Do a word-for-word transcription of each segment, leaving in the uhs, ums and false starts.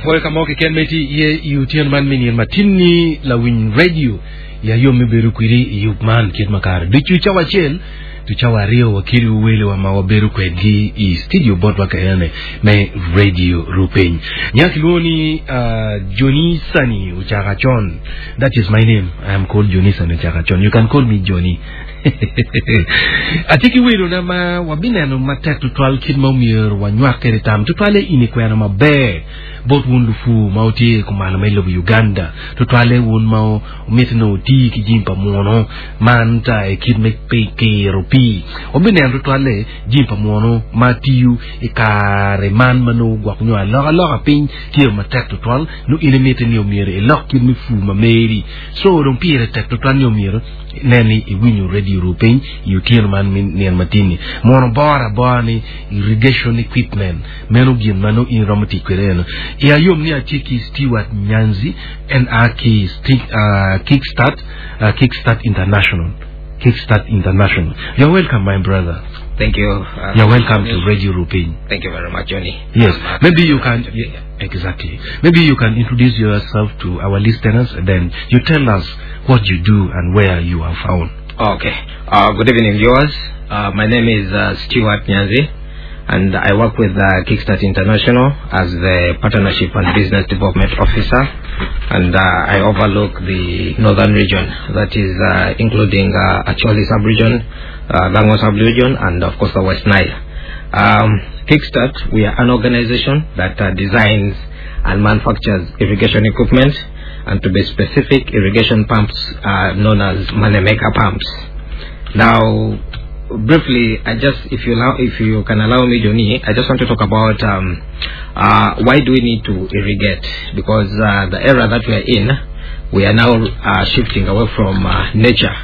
Apwoyo ka mo keken ma itye iye i otyeno man me nino matin-ni lawiny radio ya yom me bedo kwedi i yub man kit ma kare ducu cawa acel to cawa aryo wakelo welewa ma wabedo kwedgi i studio botwa ka enene me radio Rupiny. Nya kilwongo ni uh, Johnny Sani Ochakachon. That is my name. I am called Johnny Sani Ochakachon. You can call me Johnny. Atye ki welona ma wabineno matek tutwal kit ma omyero wanywak kwede tam tutwale in i kwena maber bot wun lupu ma wutye kumalo me lobo Uganda tutwale wun ma omiti nongo wuti ki jami pa muno man ta i kit me kiro pii wabineno tutwale jami pa muno ma tiyo i kare man ma nongo gwok nyo alokaloka piny tye matek tutwal nongo in imiti ni omyero ilok kit me pur ma meri so dong pire tek tutwal ni omyero inen ni iwinyo radio Rupiny i otyeno man me nino matin-ni mono boro abora ni irrigation equipment meno gin ma nongo in iromo tic kwede eno i ayom ni atye ki Stewart Nyanzi en a ki uh, Kickstart uh, Kickstart International Kickstart International you're welcome my brother Thank you. Uh, you're welcome to Radio Rupiny Thank you very much, Johnny. Yes, I'm happy maybe you to can. be here. Exactly. Maybe you can introduce yourself to our listeners, and then you tell us what you do and where you are found. Okay. Uh, good evening, viewers. Uh, my name is uh, Stewart Nyanzi, and I work with uh, Kickstart International as the Partnership and Business Development Officer, and uh, I overlook the northern region, that is uh, including uh, Acholi sub-region, uh, Lango sub-region, and of course the West Nile. Um, Kickstart, we are an organization that uh, designs and manufactures irrigation equipment, and to be specific, irrigation pumps uh, known as Moneymaker pumps. Now, briefly, I just, if you allow, if you can allow me, Johnny, I just want to talk about um, uh, why do we need to irrigate? Because uh, the era that we are in, we are now uh, shifting away from uh, nature,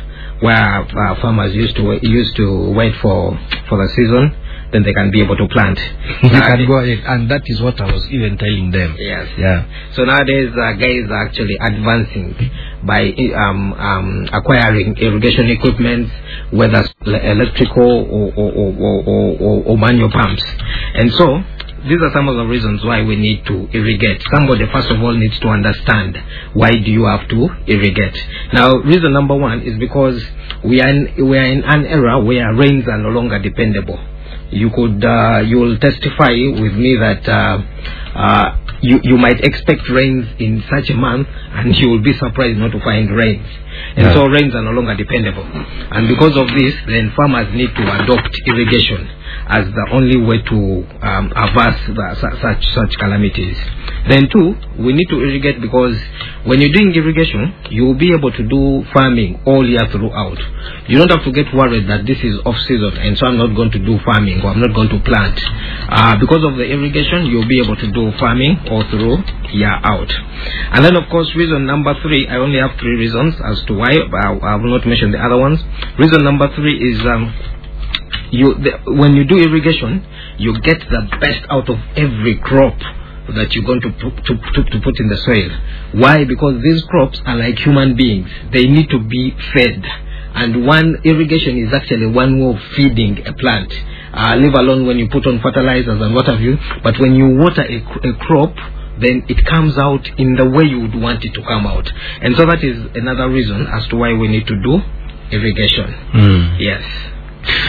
where uh, farmers used to used to wait for for the season, then they can be able to plant. You can go ahead, and that is what I was even telling them. Yes. Yeah. So nowadays, uh, guys are actually advancing by um, um, acquiring irrigation equipment, whether electrical or, or, or, or, or, or manual pumps. And so, these are some of the reasons why we need to irrigate. Somebody, first of all, needs to understand why do you have to irrigate. Now, reason number one is because we are in, we are in an era where rains are no longer dependable. You could, uh, you will testify with me that uh, uh, you, you might expect rains in such a month and you will be surprised not to find rains. And Yeah. so rains are no longer dependable. And because of this, then farmers need to adopt irrigation as the only way to um, avert the, su- such, such calamities. Then two, we need to irrigate because when you're doing irrigation, you will be able to do farming all year throughout. You don't have to get worried that this is off season and so I'm not going to do farming or I'm not going to plant. Uh, because of the irrigation, you'll be able to do farming all through year out. And then of course, reason number three, I only have three reasons as to why, but I, I will not mention the other ones. Reason number three is um, you the, when you do irrigation, you get the best out of every crop that you're going to put, to, to, to put in the soil. Why? Because these crops are like human beings. They need to be fed. And one irrigation is actually one way of feeding a plant. Uh, leave alone when you put on fertilizers and what have you. But when you water a, a crop, then it comes out in the way you would want it to come out. And so that is another reason as to why we need to do irrigation. Mm. Yes.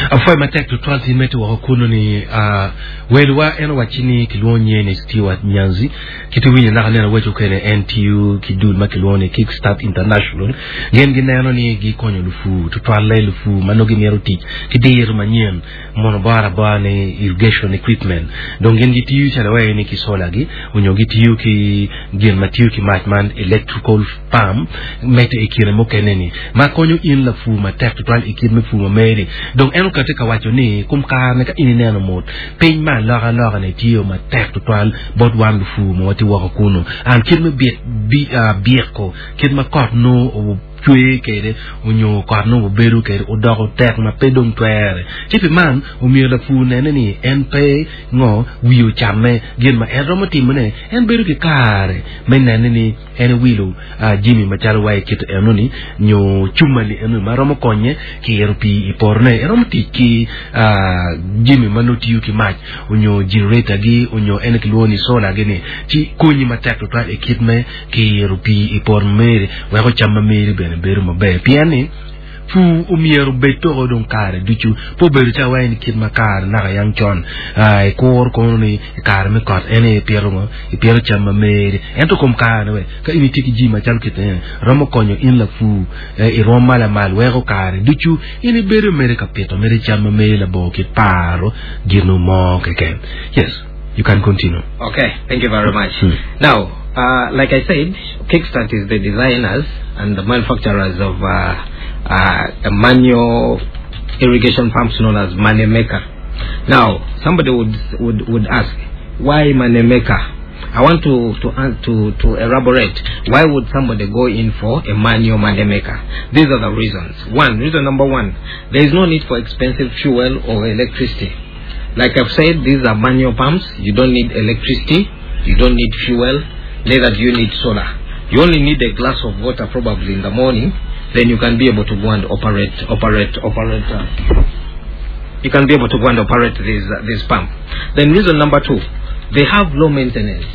Afwoyo matek tutwal tin me woko kuno ni uh, welwa en owaci ni kilwongo nye ni Stewart Nyanzi kiti winyo naka neno wecho kene N T U ki dul ma kilwongo ni Kickstart International gin gineno ni gikonyo lufu tutwalle lufu ma nongo gimito tic ki diro manyien mono boro abora ni irrigation equipment dong gin gitiyo calo wai ni ki solar gi onyo gitiyo ki gin ma tiyo ki mac man electrical pump medo i kine mukene ni ma konyo in lapu matek tutwal i kit me pur ma meri dong en okati ka waco ni kum kare ka in ineno mot piny ma alokaloka ni tye matek tutwal bot wan lupu ma watye woko kuno an kit me byeko kit ma kot nongo cwe kede onyo kot nongo bedo kede odoko tek ma pe dong twere ci pi man omyero lapur nene ni en pe ngo wiyo camme gin ma en romo timone en bedo ki kare me nene ni en wilo uh, jimi macalo wa i kit enoni nyo cumali enoni ma romo konye kiro pii i potone en romo tic ki uh, jimi ma nongo tiyo ki mac onyo generator gi onyo en kilwongo ni solar gi ni ci konyi matek tutwal i kit me kiro pii i poto meri weko cam ma meri bene bedo maber pien ni pur omyero obed toko dong kare ducu po obedo ca wai ni kit ma kare naka yang con uh, ikur kono ni i kare me kot en ipito ngo ipito cam ma meri ento kom kare we ka in itye ki jimi macalo kit ene romo konyo in lapur eh, i rwom ma lamal weko kare ducu in ibedo mere ka pito mere cam ma meri labongo kit paro gino mo keken yes you can continue Okay, thank you very much. Hmm. Now, uh, like I said, Kickstart is the designers and the manufacturers of uh, uh, a manual irrigation pumps known as Moneymaker. Now, somebody would, would, would ask, why Moneymaker? I want to, to, an- to, to elaborate. Why would somebody go in for a manual moneymaker? These are the reasons. One, reason number one, there is no need for expensive fuel or electricity. Like I've said, these are manual pumps. You don't need electricity, you don't need fuel, neither do you need solar. You only need a glass of water probably in the morning, then you can be able to go and operate, operate, operate. Uh, you can be able to go and operate this, uh, this pump. Then reason number two, they have low maintenance.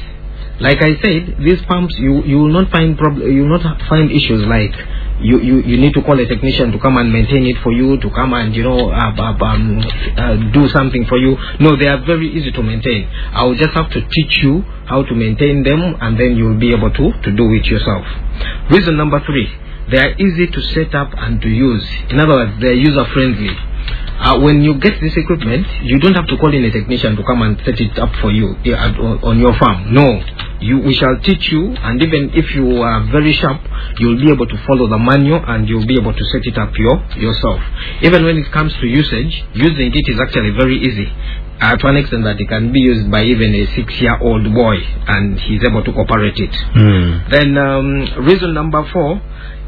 Like I said, these pumps you, you will not find prob- you will not find issues like you, you, you need to call a technician to come and maintain it for you, to come and you know uh, uh, um, uh, do something for you. No, they are very easy to maintain. I will just have to teach you how to maintain them, and then you will be able to, to do it yourself. Reason number three, they are easy to set up and to use. In other words, they are user friendly. Uh, when you get this equipment, you don't have to call in a technician to come and set it up for you eh, at- on on your farm. No, you, we shall teach you, and even if you are very sharp, you'll be able to follow the manual and you'll be able to set it up your, yourself. Even when it comes to usage, using it is actually very easy. Uh, to an extent that it can be used by even a six-year-old boy, and he's able to operate it. mm. Then um, reason number four,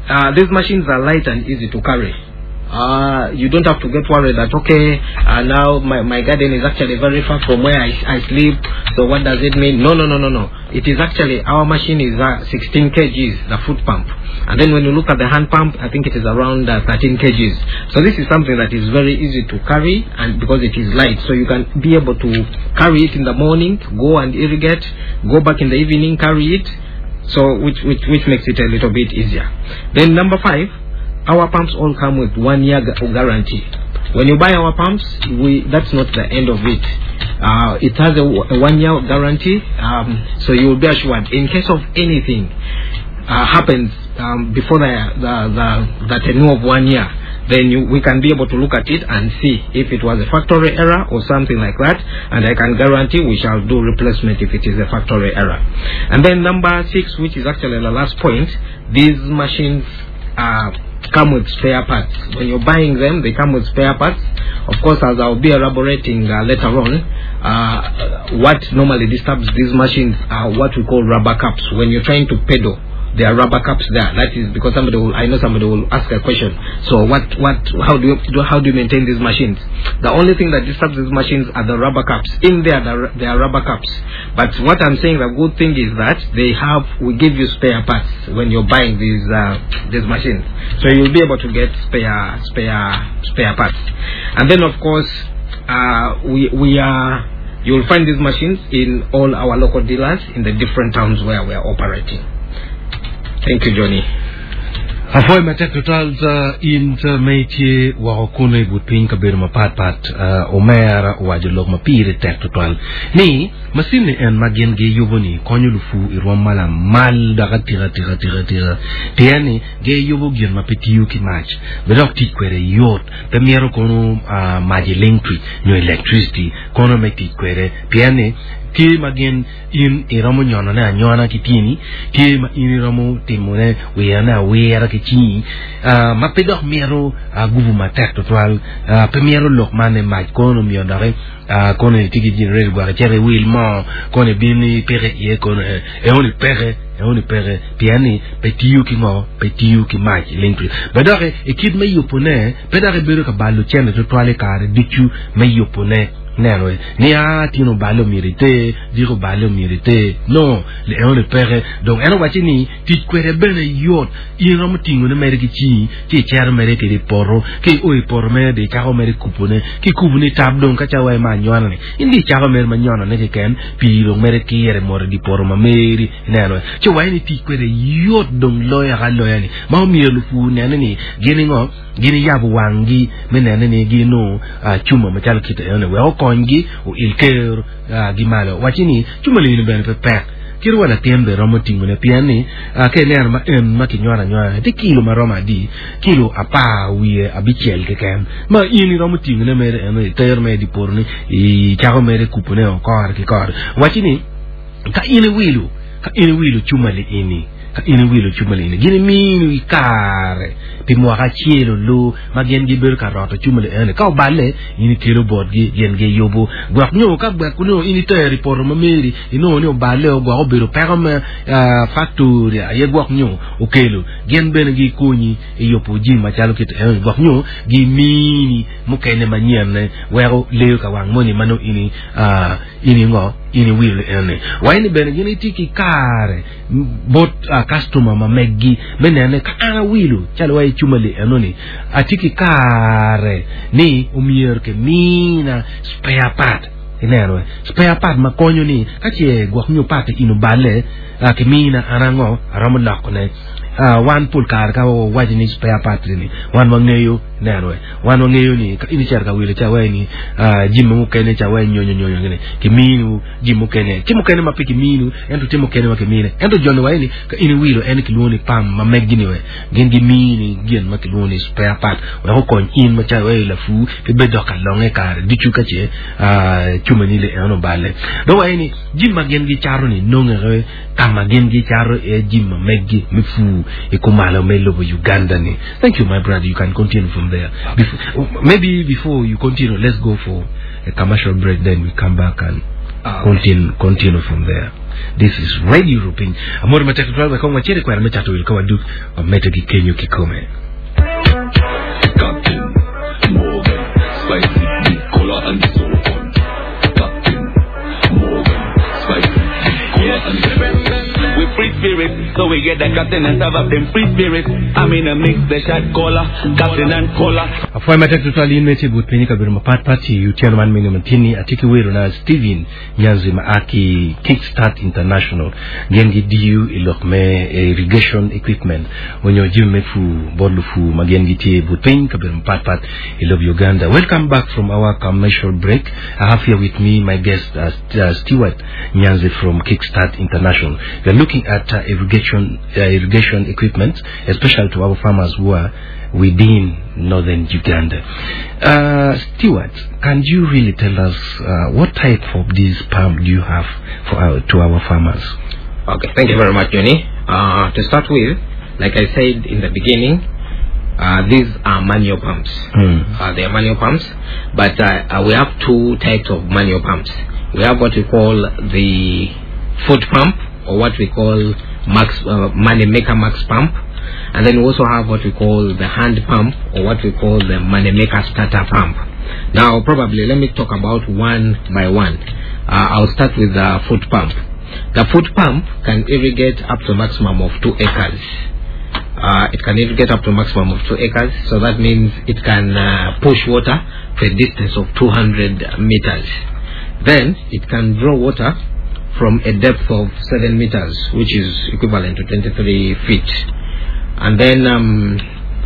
uh, these machines are light and easy to carry. Uh, you don't have to get worried that okay, uh, now my, my garden is actually very far from where I, I sleep, so what does it mean? No, no, no, no, no. It is actually, our machine is uh, sixteen kilograms, the foot pump. And then when you look at the hand pump, I think it is around uh, thirteen kilograms. So this is something that is very easy to carry, and because it is light, so you can be able to carry it in the morning, go and irrigate, go back in the evening, carry it. So which, which, which makes it a little bit easier. Then number five, our pumps all come with one year gu- guarantee. When you buy our pumps, we, that's not the end of it. Uh, it has a, w- a one year guarantee, um, so you will be assured in case of anything uh, happens um, before the, the, the, the tenure of one year, then you, we can be able to look at it and see if it was a factory error or something like that, and I can guarantee we shall do replacement if it is a factory error. And then number six, which is actually the last point, these machines uh, come with spare parts. When you're buying them, they come with spare parts. Of course, as I'll be elaborating uh, later on, uh, what normally disturbs these machines are what we call rubber caps. When you're trying to pedal, there are rubber caps there. That is because somebody will, I know somebody will ask a question. So what, what, how do you, do, how do you maintain these machines? The only thing that disturbs these machines are the rubber caps. In there, there, there are rubber caps. But what I'm saying, the good thing is that they have, we give you spare parts when you're buying these, uh, these machines. So you'll be able to get spare, spare, spare parts. And then of course, uh, we, we are, you'll find these machines in all our local dealers in the different towns where we are operating. Thank you, Johnny. Afoy matek tutwal uh, in uh, me tye woko kuno i but piny kabedo mapatpat uh, omera owaco lok ma pire tek tutwal ni masin ni en ma gin giyubo ni konyo lufu i rwom ma lamal dok atika tika tika tika pien ni giyubo gin ma pe tiyo ki mac be dok tic kwede yot pe myero kono uh, mac electric nyo electricity kono me tic kwede pien ni Tye ma gin in iromo nyono ne anyona ki tyeni, tye ma in iromo timo ne wiro ne awira ki cingi, uh, ma pe dok mito uh, gubu matek tutwal, uh, pe mito lok man e mac kono miyo doki uh, kono itye ki generator gwok icito iwil moo kono ibin ipike iye kono eh, eoni peke eoni peke pien ni pe tiyo ki ngo pe tiyo ki mac electric be doki i kit me yubone pe dok ibedo ka balo cente tutwal i kare ducu me yubone neno ni a tino balo myero iter diko balo myero iter no le eoni peke dong en owaco ni tic kwede bene yot in romo tingone mere ki cingi ci icero mere kede i poto ki i o i poto mere di icako mere kupone ki kupone tap dong ka cawa ma anywano ni in di icako mere ma nyonone keken pii dong mere kire moto di poto ma meri ineno ci waci ni tic kwede yot dong loyo aka loya ni ma omyero lupur nene ni gin ngo gin yabo wanggi me nene ni gino uh, cuma macalo kite ene wek okonygi oil ker uh, gi malo waci ni cuma lini bene pe pek kiri wa latin be romo tingone pien ni uh, ka ineno ma en ma kinywalo anywala tye kilo maromo adi kilo apar wiye abicel keken ma in iromo tingone mere eno itero mere di poto ni icako mere kupone o kore ki kore waci ni ka in iwilo ka in iwilo cuma li ini ka in iwilo cuma li ini gin imini i kare pi mwaka acel olu ma gin gibedo ka roto cuma li eni ka oballe in ikelo botgi gin giyubo gwok nyo ka gwek nyo in itero i poto ma meri inongo ni oballe o gwok obedo peko me uh, factory aye gwok nyo okelo gin bene gikonyi i yubo jami macalo kit eni gwok nyo gimini mukene manyenne weko leyo ka wang moni ma nongo ini uh, ini ngo ini wilo eni waini bene gin itye ki kare bot uh, customer ma meggi me nene ka an awilo calo wa i cuma li enoni atye ki kare ni omyero kimina spare part ineno spare part ma konyo ni ka ce gwok nyo part in oballe uh, kimina an ango aromo lokone uh, wan pol kare ka wawaco ni spare part ni wan wangeyo neno wan wangeyo ni ka in icito ka wilo ca wai ni uh, jami mukene ca wai nyonyo nyonyo gini kiminu jami mukene tye mukene ma pe kiminu ento tye mukene ma kimine ento joni wai ni ka in iwilo en kilwongo ni pam ma meggi ni we gin gimini gin ma kilwongo ni spare part wek okony in macalo wai lapur pe bed dok ka longe kare ducu ka ce uh, cuma ni le en oballe dong wai ni jami ma gin gicato ni nongere kama gin gicato e jami ma meggi me pur i kumalo me lobo Uganda ni thank you my brother you can continue from there before, maybe before you continue let's go for a commercial break then we come back and Ah, okay. continue continue from there this is radio Rupiny amoro matek tutwal wek kong wacit i kwena me cato wil ka waduk wamedo gi kenyo kikome Captain Morgan, spicy big cola and so on. Captain Morgan, spicy big cola and so on. We free spirit, so we get the captain and serve up them free spirit. I'm in a mix, the shot caller, captain and cola. afwai matek tutwal in mete but piny kabedo mapat pat i otieno man mine matini atye ki wero na Steven Nyanzi ma a ki Kickstart International gin gidiyo i lok me irrigation equipment onyo jami me pur bot lupur ma gin gitye but piny kabedo mapat pat i lob Uganda welcome back from our commercial break I have here with me my guest uh, St- uh, Stewart Nyanzi from Kickstart International we are looking at uh, irrigation uh, irrigation equipment especially to our farmers who are within northern Uganda. Uh, Stewart, can you really tell us uh, what type of this pump do you have for our, to our farmers? Okay, thank you very much, Johnny. Uh, to start with, like I said in the beginning, uh, these are manual pumps. Mm. Uh, they are manual pumps, but uh, uh, we have two types of manual pumps. We have what we call the foot pump, or what we call max uh, money maker max pump, and then we also have what we call the hand pump, or what we call the money maker starter pump. Now, probably let me talk about one by one. Uh, I'll start with the foot pump. The foot pump can irrigate up to a maximum of two acres. Uh, it can irrigate up to a maximum of two acres, so that means it can uh, push water to a distance of two hundred meters. Then it can draw water from a depth of seven meters, which is equivalent to twenty-three feet. And then um,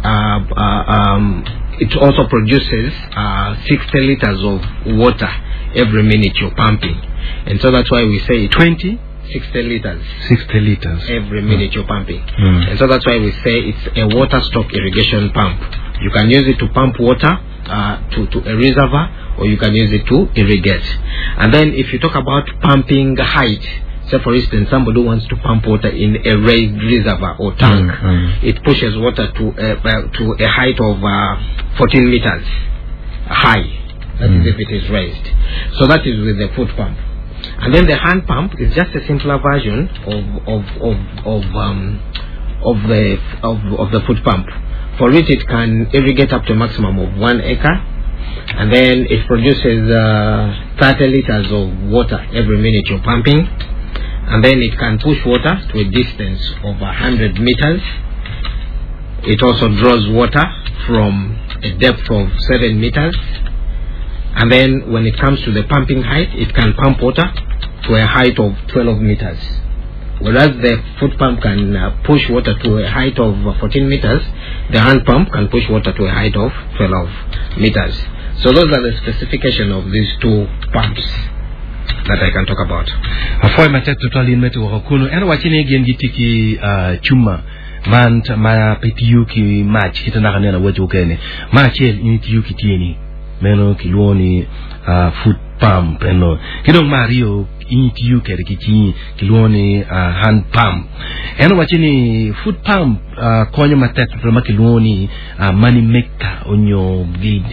uh, uh, um, it also produces, uh, sixty liters of water every minute you're pumping. And so that's why we say twenty? sixty liters. sixty liters. Every minute you're pumping. Mm. And so that's why we say it's a water stock irrigation pump. You can use it to pump water, uh, to, to a reservoir, or you can use it to irrigate. And then if you talk about pumping height, say for instance, somebody wants to pump water in a raised reservoir or tank, Mm, mm. it pushes water to a, uh, to a height of, uh, fourteen meters high. That is Mm. if it is raised. So that is with the foot pump. And then the hand pump is just a simpler version of, of, of, of, um, of the, of, of the foot pump. For it, it can irrigate up to a maximum of one acre, and then it produces, uh, thirty liters of water every minute you're pumping, and then it can push water to a distance of a hundred meters. It also draws water from a depth of seven meters. And then when it comes to the pumping height, it can pump water to a height of twelve meters. Whereas the foot pump can, uh, push water to a height of fourteen meters, the hand pump can push water to a height of twelve meters. So those are the specification of these two pumps that I can talk about. Afoy matek tutwal in metu woko kunu. En wachi ni gin gitye ki, uh, cuma man t-, ma pe tiyo ki mac kite naka neno awoco okene. Ma acel in itiyo ki tyeni. Meno kilwongo ni, uh, foot pump eno. Ki dong ma aryo in itiyo kede ki cingi kilwongo ni, uh, hand pump. En owaco ni foot pump, uh, konyo matek tutwal ma kilwongo ni, uh, money maker onyo gi,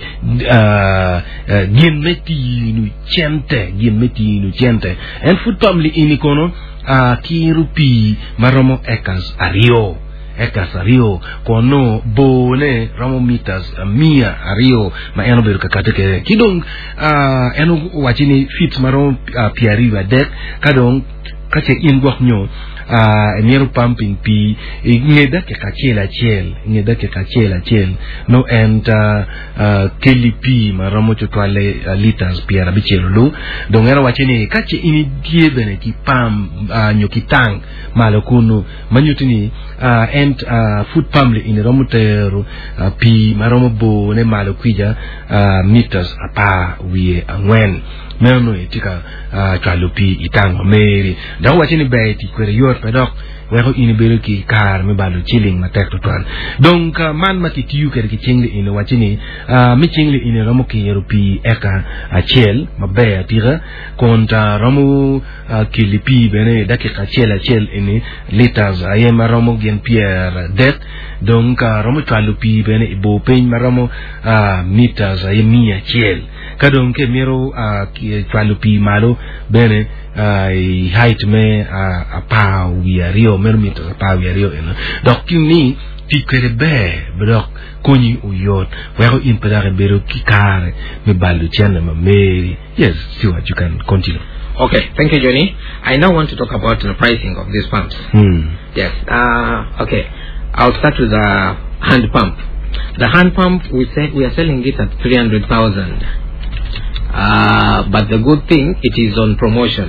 uh, uh, gin me tino cente, gin me tino cente. En foot pump li ini kono, uh, kiro pii maromo acres aryo. Acres aryo kono bone romo meters mia aryo ma en obedo ka kate kede. Ki dong, uh, en owaco ni feet maromo, uh, piero aryo adek, ka dong ka ce in gwok nyo, uh, imito pumping pii i nge dakika acel acel, i nge dakika acel acel, no en ta, uh, keli pii maromo tutwalle, uh, liters piero abicel olu. Dong en owaco ni ka ce in itye bene ki pump, uh, nyo ki tank malo kunu, ma nyuto ni, uh, en, uh, foot pump li ini romo tero, uh, pii maromo bone malo kwija, uh, meters apar wiye angwen. Meno itye ka, uh, cwalo pii i tank ma meri. Dok owaco ni ber tic kwede yot pe dok weko in ibedo ki kare me balo ciling matek tutwal. Dong, uh, man ma kitiyo kwede ki cing li ini owaco ni, uh, mi cing li ini romo kiro pii eka acel maber atika, kun ta romo, uh, keli pii bene dakika acel acel ini liters aye maromo gin pier adek. Dong ka romo cwalo pii bene i bor piny maromo, uh, meters aye mia acel. Ka dong ke mito, uh, ki-, cwalo pii malo bene, uh, i height me, uh, apar wiye aryo, meno meters apar wiye aryo eno. Dok ki ni tic kwede ber, dok konyi oyot, weko in pe dok ibedo ki kare me balo cene ma meri. Yes, Stewart, you can continue. Okay, thank you, Johnny. I now want to talk about the pricing of these pumps. Hmm. Yes. Uh, okay. I'll start with the hand pump. The hand pump, we say we are selling it at three hundred thousand. Uh, but the good thing, it is on promotion.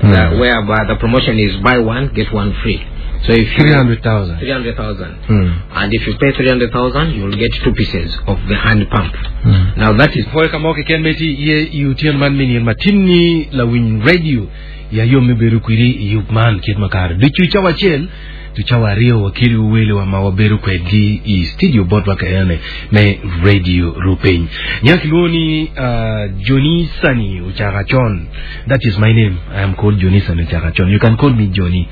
Hmm. The, whereby the promotion is buy one, get one free. So if you three hundred thousand. three hundred thousand. Hmm. And if you pay three hundred thousand, you will get two pieces of the hand pump. Hmm. Now that is Foy ka mo keken meti ye i utien man minir matinni la winy radio ya yo me bedo kwiri i yub man kit makare. Ducu cawa acel, tu cawa aryo wakiri wele wa ma wabedo kwedgi i studio botwa ka ene me radio Rupiny. Nyak iluongo ni, uh, Johnny Sani Uchakachon. That is my name. I am called Johnny Sani Uchakachon. You can call me Johnny.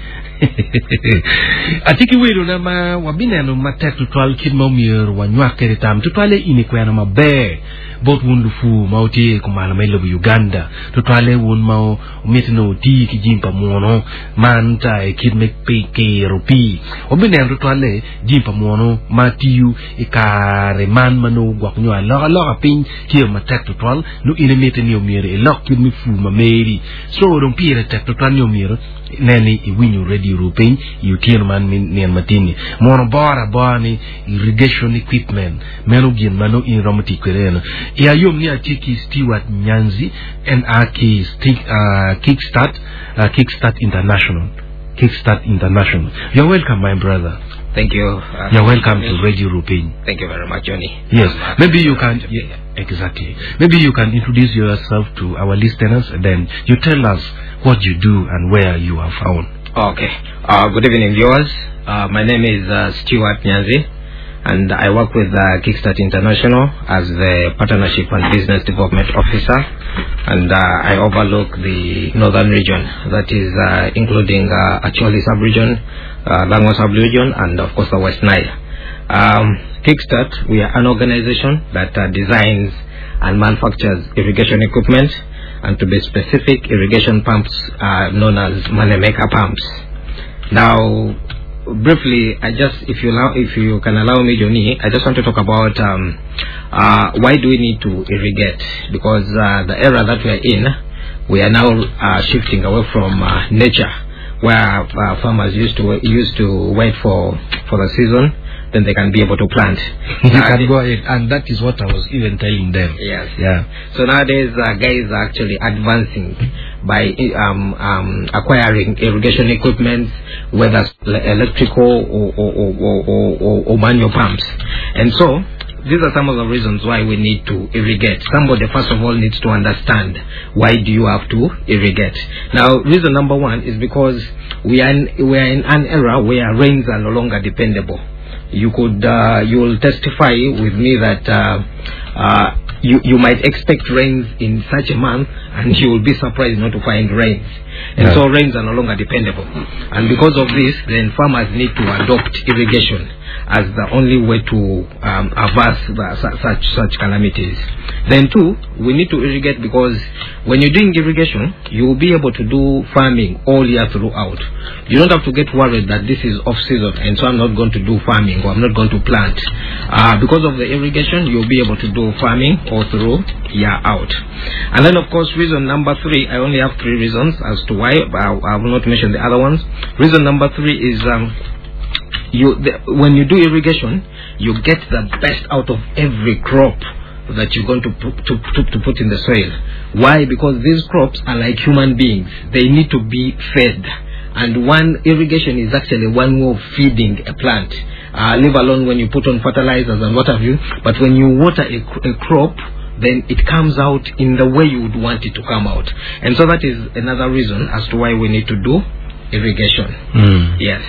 Atiki welo na ma wabineno matek tutwal kit ma omyero wanywak kede tam tutwale in i kwena maber bot wun lufu ma otye kumalo me lobo Uganda tutwale wun ma omiti ni oti ki jim pa muno man ta i kit me pi kiro pii wabineno tutwale jim pa muno ma tiyo i kare man ma nongo gwok nyo alokaloka piny tye matek tutwal nongo in imiti ni omyero ilok kit me pur ma meri so dong pire tek tutwal ni omyero neni iwinyo radio Rupiny i otyeno man mi nino matin-ni mono bora abora ni irrigation equipment meno gin ma nongo in romo tic kwede eno i ayom ni atye ki Stewart Nyanzi en a ki Sti-, uh, Kickstart, uh, Kickstart International. Kickstart International. You're welcome, my brother. Thank you. Uh, You're welcome to Radio Rupiny. Thank you very much, Johnny. Yes, I'm happy maybe you to can be here. exactly. Maybe you can introduce yourself to our listeners, and then you tell us what you do and where you are found. Okay. Uh, good evening, viewers. Uh, my name is uh, Stuart Nyanzi, and I work with uh, Kickstart International as the Partnership and Business Development Officer, and uh, I overlook the northern region, that is uh, including uh, Acholi sub-region, uh, Lango sub-region, and of course the West Nile. Um, Kickstart, we are an organization that uh, designs and manufactures irrigation equipment, and to be specific, irrigation pumps uh, known as Moneymaker pumps. Now, briefly, I just, if you allow, if you can allow me, Johnny, I just want to talk about um, uh, why do we need to irrigate? Because uh, the era that we are in, we are now uh, shifting away from uh, nature, where uh, farmers used to used to wait for for the season, then they can be able to plant. You can go ahead, and that is what I was even telling them. Yes. Yeah. So nowadays, uh, guys are actually advancing by um, um, acquiring irrigation equipment, whether electrical or, or, or, or, or, or manual pumps. And so, these are some of the reasons why we need to irrigate. Somebody, first of all, needs to understand why do you have to irrigate. Now, reason number one is because we are in, we are in an era where rains are no longer dependable. You could, uh, you will testify with me that uh, uh, you, you might expect rains in such a month, and you will be surprised not to find rains. And Yeah. so rains are no longer dependable. And because of this, then farmers need to adopt irrigation as the only way to um, avert the, su- such, such calamities. Then two, we need to irrigate because when you're doing irrigation, you will be able to do farming all year throughout. You don't have to get worried that this is off season and so I'm not going to do farming or I'm not going to plant. Uh, because of the irrigation, you'll be able to do farming all through year out. And then of course, reason number three, I only have three reasons as to why, but I, I will not mention the other ones. Reason number three is um, you the, when you do irrigation, you get the best out of every crop that you're going to put, to, to, to put in the soil. Why? Because these crops are like human beings. They need to be fed. And one irrigation is actually one way of feeding a plant. Uh, leave alone when you put on fertilizers and what have you. But when you water a, cr- a crop, then it comes out in the way you would want it to come out. And so that is another reason as to why we need to do irrigation. Mm. Yes.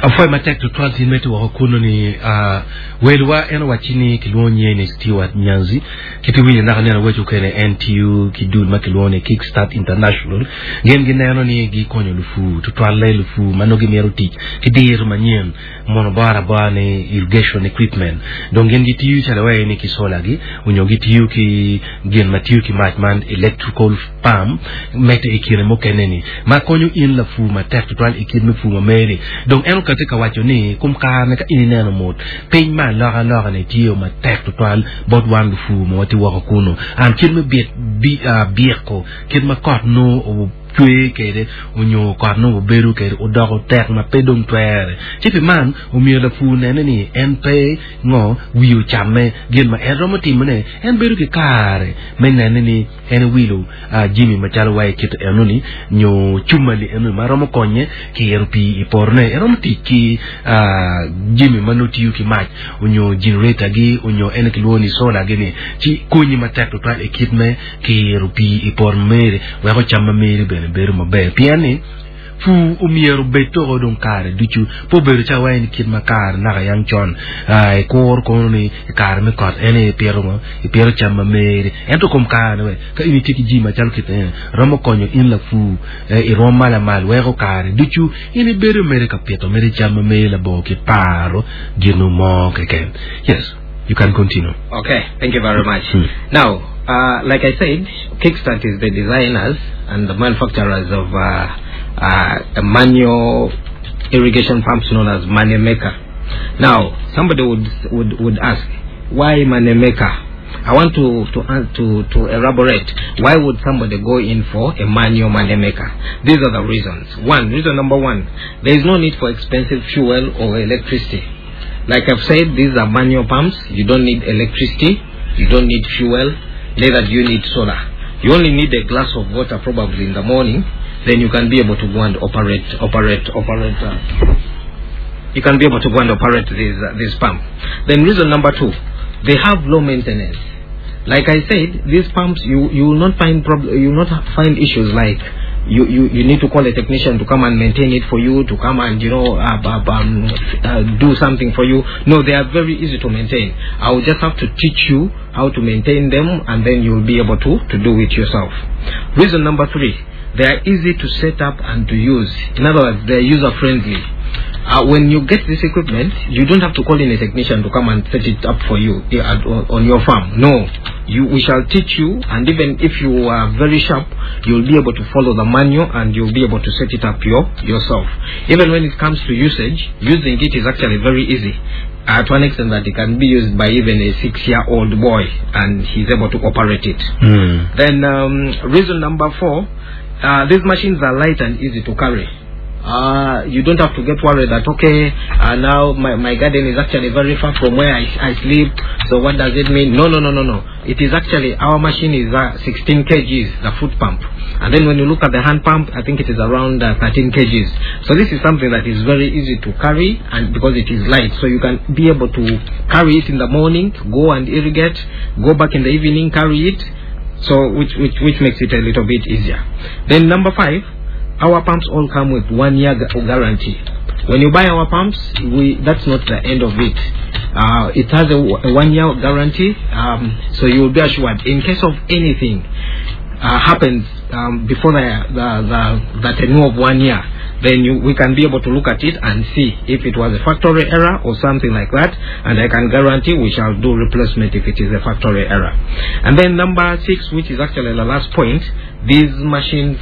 Afoi matek tutwal tin meti woko kuno ni uh, welwa en wachini kilwongo ni Stewart Nyanzi kiti winyo naka neno wecho kene N T U ki dul ma kilwongo ni Kickstart International gen gineno ni gikonyo lufu tutwal le lufu mano gimiero tich ki dir manyien mono bora bora ni irrigation equipment dong gen gitiyo chalo wae ni ki solar gi onyo gitiyo ki gin matiyo ki mach man electrical pump mete e kine mokene ni ma konyo in lafu matek tutwal e kine fu ma meri dong en okate ka wacho ni kum kare ka in ineno mot piny ma loka loka ne tiyo matek tutwal bot wan lufu ma wati woko kuno an kit me biet bi uh, bieko kit ma kot no o chwe kede onyo kot no obedo kede odoko tek ma pe dong twere ci pi man omiyo lapu nene ni en pe ngo wiyo chame gin ma en romo timone en bedo ki kare me nene ni en wilo uh, jimi machalo wae kit enoni nyo chumali enoni ma romo konye ki ero pi i porne en romo tic ki uh, jimi ma notiyo ki mac onyo generator gi onyo en kilwongo ni solar gi ni ci konyi matek tutwal i kit me ki ero pi i por mere weko cam ma mere bene bedo maber pien ni fu omiero bed toko dong kare ducu po bedo ca wae ni kit ma kare naka yang con uh, i kur kono ni i kare me kot en i piro ngo i piro cam ma mere ento kom kare we ka in itye ki ji macalo kit ene romo konyo in lafu eh, i rwom malamal weko kare ducu in ibedo mere ka pito mere cam ma mere labongo ki paro gino mo keken. Yes, you can continue. Okay, thank you very much. Hmm. Now, uh, like I said, Kickstart is the designers and the manufacturers of uh, uh, a manual irrigation pumps known as Moneymaker. Now, somebody would, would, would ask, why Moneymaker? I want to, to, uh, to, to elaborate. Why would somebody go in for a manual moneymaker? These are the reasons. One, reason number one, there is no need for expensive fuel or electricity. Like I've said, these are manual pumps. You don't need electricity. You don't need fuel. Neither do you need solar. You only need a glass of water probably in the morning. then you can be able to go and operate, operate, operate. Uh, you can be able to go and operate this, uh, this pump. Then reason number two, they have low maintenance. Like I said, these pumps, you, you will not find prob- you will not find issues like you, you, you need to call a technician to come and maintain it for you, to come and, you know, uh, uh, um, uh, do something for you. No, they are very easy to maintain. I will just have to teach you how to maintain them, and then you will be able to, to do it yourself. Reason number three, they are easy to set up and to use. In other words, they are user-friendly. Uh, when you get this equipment, you don't have to call in a technician to come and set it up for you eh, at, on, on your farm. No, you, we shall teach you, and even if you are very sharp, you'll be able to follow the manual and you'll be able to set it up your, yourself. Even when it comes to usage, using it is actually very easy. Uh, to an extent that it can be used by even a six-year-old boy, and he's able to operate it. Mm. Then um, reason number four, uh, these machines are light and easy to carry. Uh, you don't have to get worried that, okay, uh, now my, my garden is actually very far from where I, I sleep, so what does it mean? No, no, no, no, no. It is actually, our machine is uh, sixteen kilograms, the foot pump. And then when you look at the hand pump, I think it is around uh, thirteen kilograms. So this is something that is very easy to carry, and because it is light, so you can be able to carry it in the morning, go and irrigate, go back in the evening, carry it, so which, which, which makes it a little bit easier. Then number five, our pumps all come with one year gu- guarantee. When you buy our pumps, we that's not the end of it. Uh, it has a, w- a one year guarantee, um, so you will be assured in case of anything uh, happens um, before the, the, the, the tenure of one year, then you, we can be able to look at it and see if it was a factory error or something like that, and I can guarantee we shall do replacement if it is a factory error. And then number six, which is actually the last point, these machines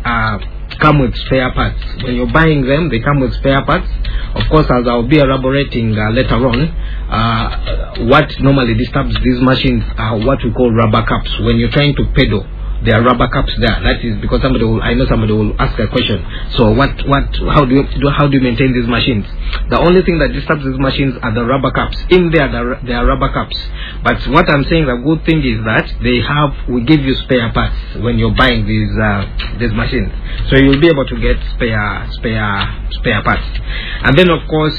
uh, come with spare parts. When you're buying them, they come with spare parts. Of course, as I'll be elaborating, uh, later on, uh, what normally disturbs these machines are what we call rubber caps. When you're trying to pedal, there are rubber caps there. That is because somebody will, I know somebody will ask a question. So what, what, how do you, do, how do you maintain these machines? The only thing that disturbs these machines are the rubber caps. In there, there, there are rubber caps. But what I'm saying, the good thing is that they have, we give you spare parts when you're buying these, uh, these machines. So you'll be able to get spare, spare, spare parts. And then of course,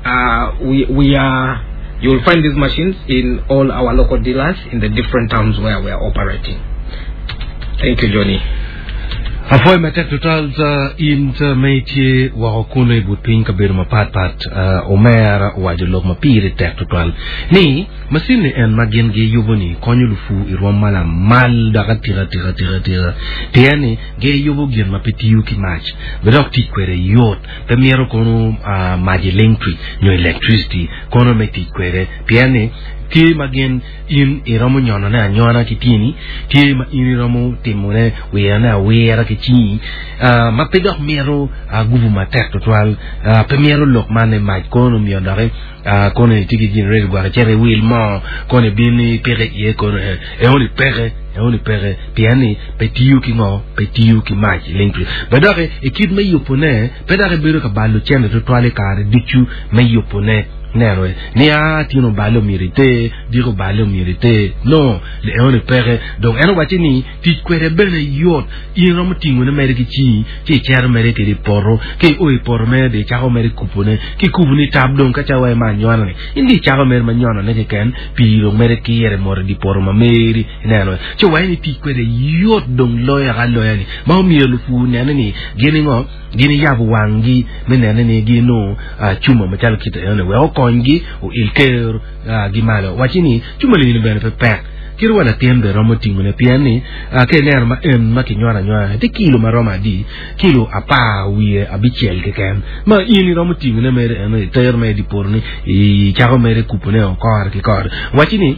uh, we, we are, you'll find these machines in all our local dealers in the different towns where we are operating. Thank you, Johnny. Afoy matek total uh, in uh, metie wako kuno i but piny kabedo mapatpat uh, omera owaco lok ma pire tek tutwal ni masin ni en ma gin giyubo ni konyo lufu i rwom ma lamal dok atika tika tika tika pien ni giyubo gin ma pe tiyo ki mac be dok tic kwede yot pe myero kono uh, mac electric nyo electricity kono me tic kwede pien ni tye ma gin in iromo nyonone anyona ki tyeni tye ma in iromo timone wirone awira ki cingi uh, ma pe dok mito uh, gubu matek tutwal uh, pe mito lok man ni mac kono miyo doki uh, kono itye ki generator gwok icito iwil moo kono ibin ipike iye kono eh, eoni peke eoni peke pien ni pe tiyo ki ngo pe tiyo ki mac electric be doki i kit me yubone pe dok ibedo ka balo cente tutwal i kare ducu me yubone neno ni a tino balo myero iter diko balo myero iter no le eoni peke dong en owaco ni tic kwede bene yot in romo tingone mere ki cingi ci icero mere kede i poto ki io i poto mere dong icako mere kupone ki kubo ni tab dong ka cawa ma anyona-ni in dong icako mere ma nyonone keken pii dong mere kire mot i di poto ma meri ineno ci waci ni tic kwede yot dong loyo aloya ni ma omyero lupur nene ni gin ngo gin yabo wanggi me nene ni gin uh, cuma macalo kite ene wek okonygi oil ker uh, gi malo waci ni cuma lini bene pe pek kiri wa latin bene romo tingone pien ni uh, ka ineno ma en ma kinywalo anywala tye kilo ma romo adi kilo apar wiye abicel keken ma in iromo tingone mere eno iter mere di poto ni icako mere kupone o kore ki kore waci ni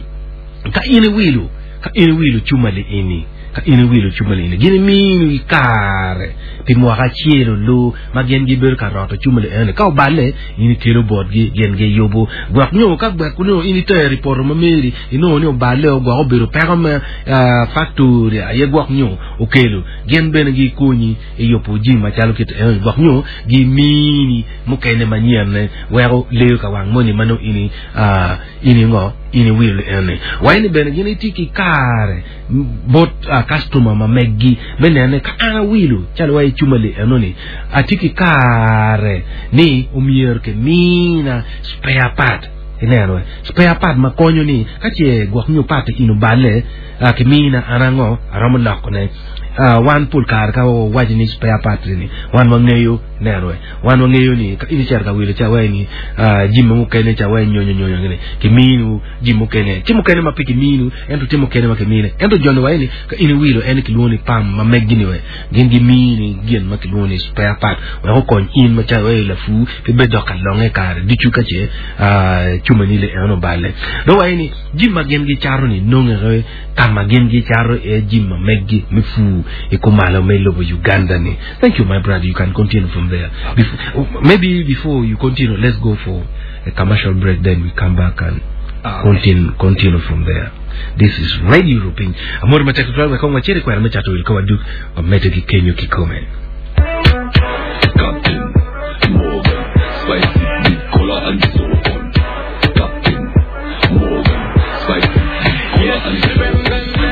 ka in iwilo ka in iwilo cuma li ini ka in iwilo cuma li ini gin imini kare pi mwaka acel olu ma gin gibedo ka roto cuma li eni ka obale in ikelo botgi gin giyubo gwok nyo ka gwek nyo in itero i poto ma meri inongo ni obale o gwok obedo peko me uh, factory aye gwok nyo okelo gin bene gikonyi i yubo jami macalo kit eni gwok nyo gimini mukene manyien weko leyo ka wang moni ma nongo ini uh, ini ngo in iwilo ene waini bene gin itye ki kare bot uh, customer ma meggi me nene ka an awilo calo wa i cumali enoni atye ki kare ni omyero kimina spare part ineno spare part ma konyo ni ka ce gwok nyo part in oballe uh, kimina an ango aromo lokone uh, wan pol kare ka wawaco ni spare part ni wan wangeyo neno wan wangeyo ni ka in icito ka wilo ca wai ni uh, jami mukene ca wai nyonyo nyonyo ngene kiminu jami mukene tye mukene ma pe kiminu ento tye mukene ma kimine ento joni wai ni ka in iwilo en kilwongo ni pam ma meggi ni we gin gimini gin ma kilwongo ni spare part wek okony in macalo wai lafu pe bed dok ka longe kare ducu ka ce uh, cumani le en oballe dong wai ni jami ma gin gicato ni nongere kama gin gicato e jami ma meggi me fu i kumalo me lobo Uganda ni thank you my brother you can continue from there before, maybe before you continue let's go for a commercial break then we come back and Ah, okay. continue continue from there this is radio Rupiny amor matek tutwal wek kong wacit i kwena me cato wil ka waduk wamedde ki kenyo kikome Captain Morgan, spicy big cola and so on. Captain Morgan, spicy big cola and so on.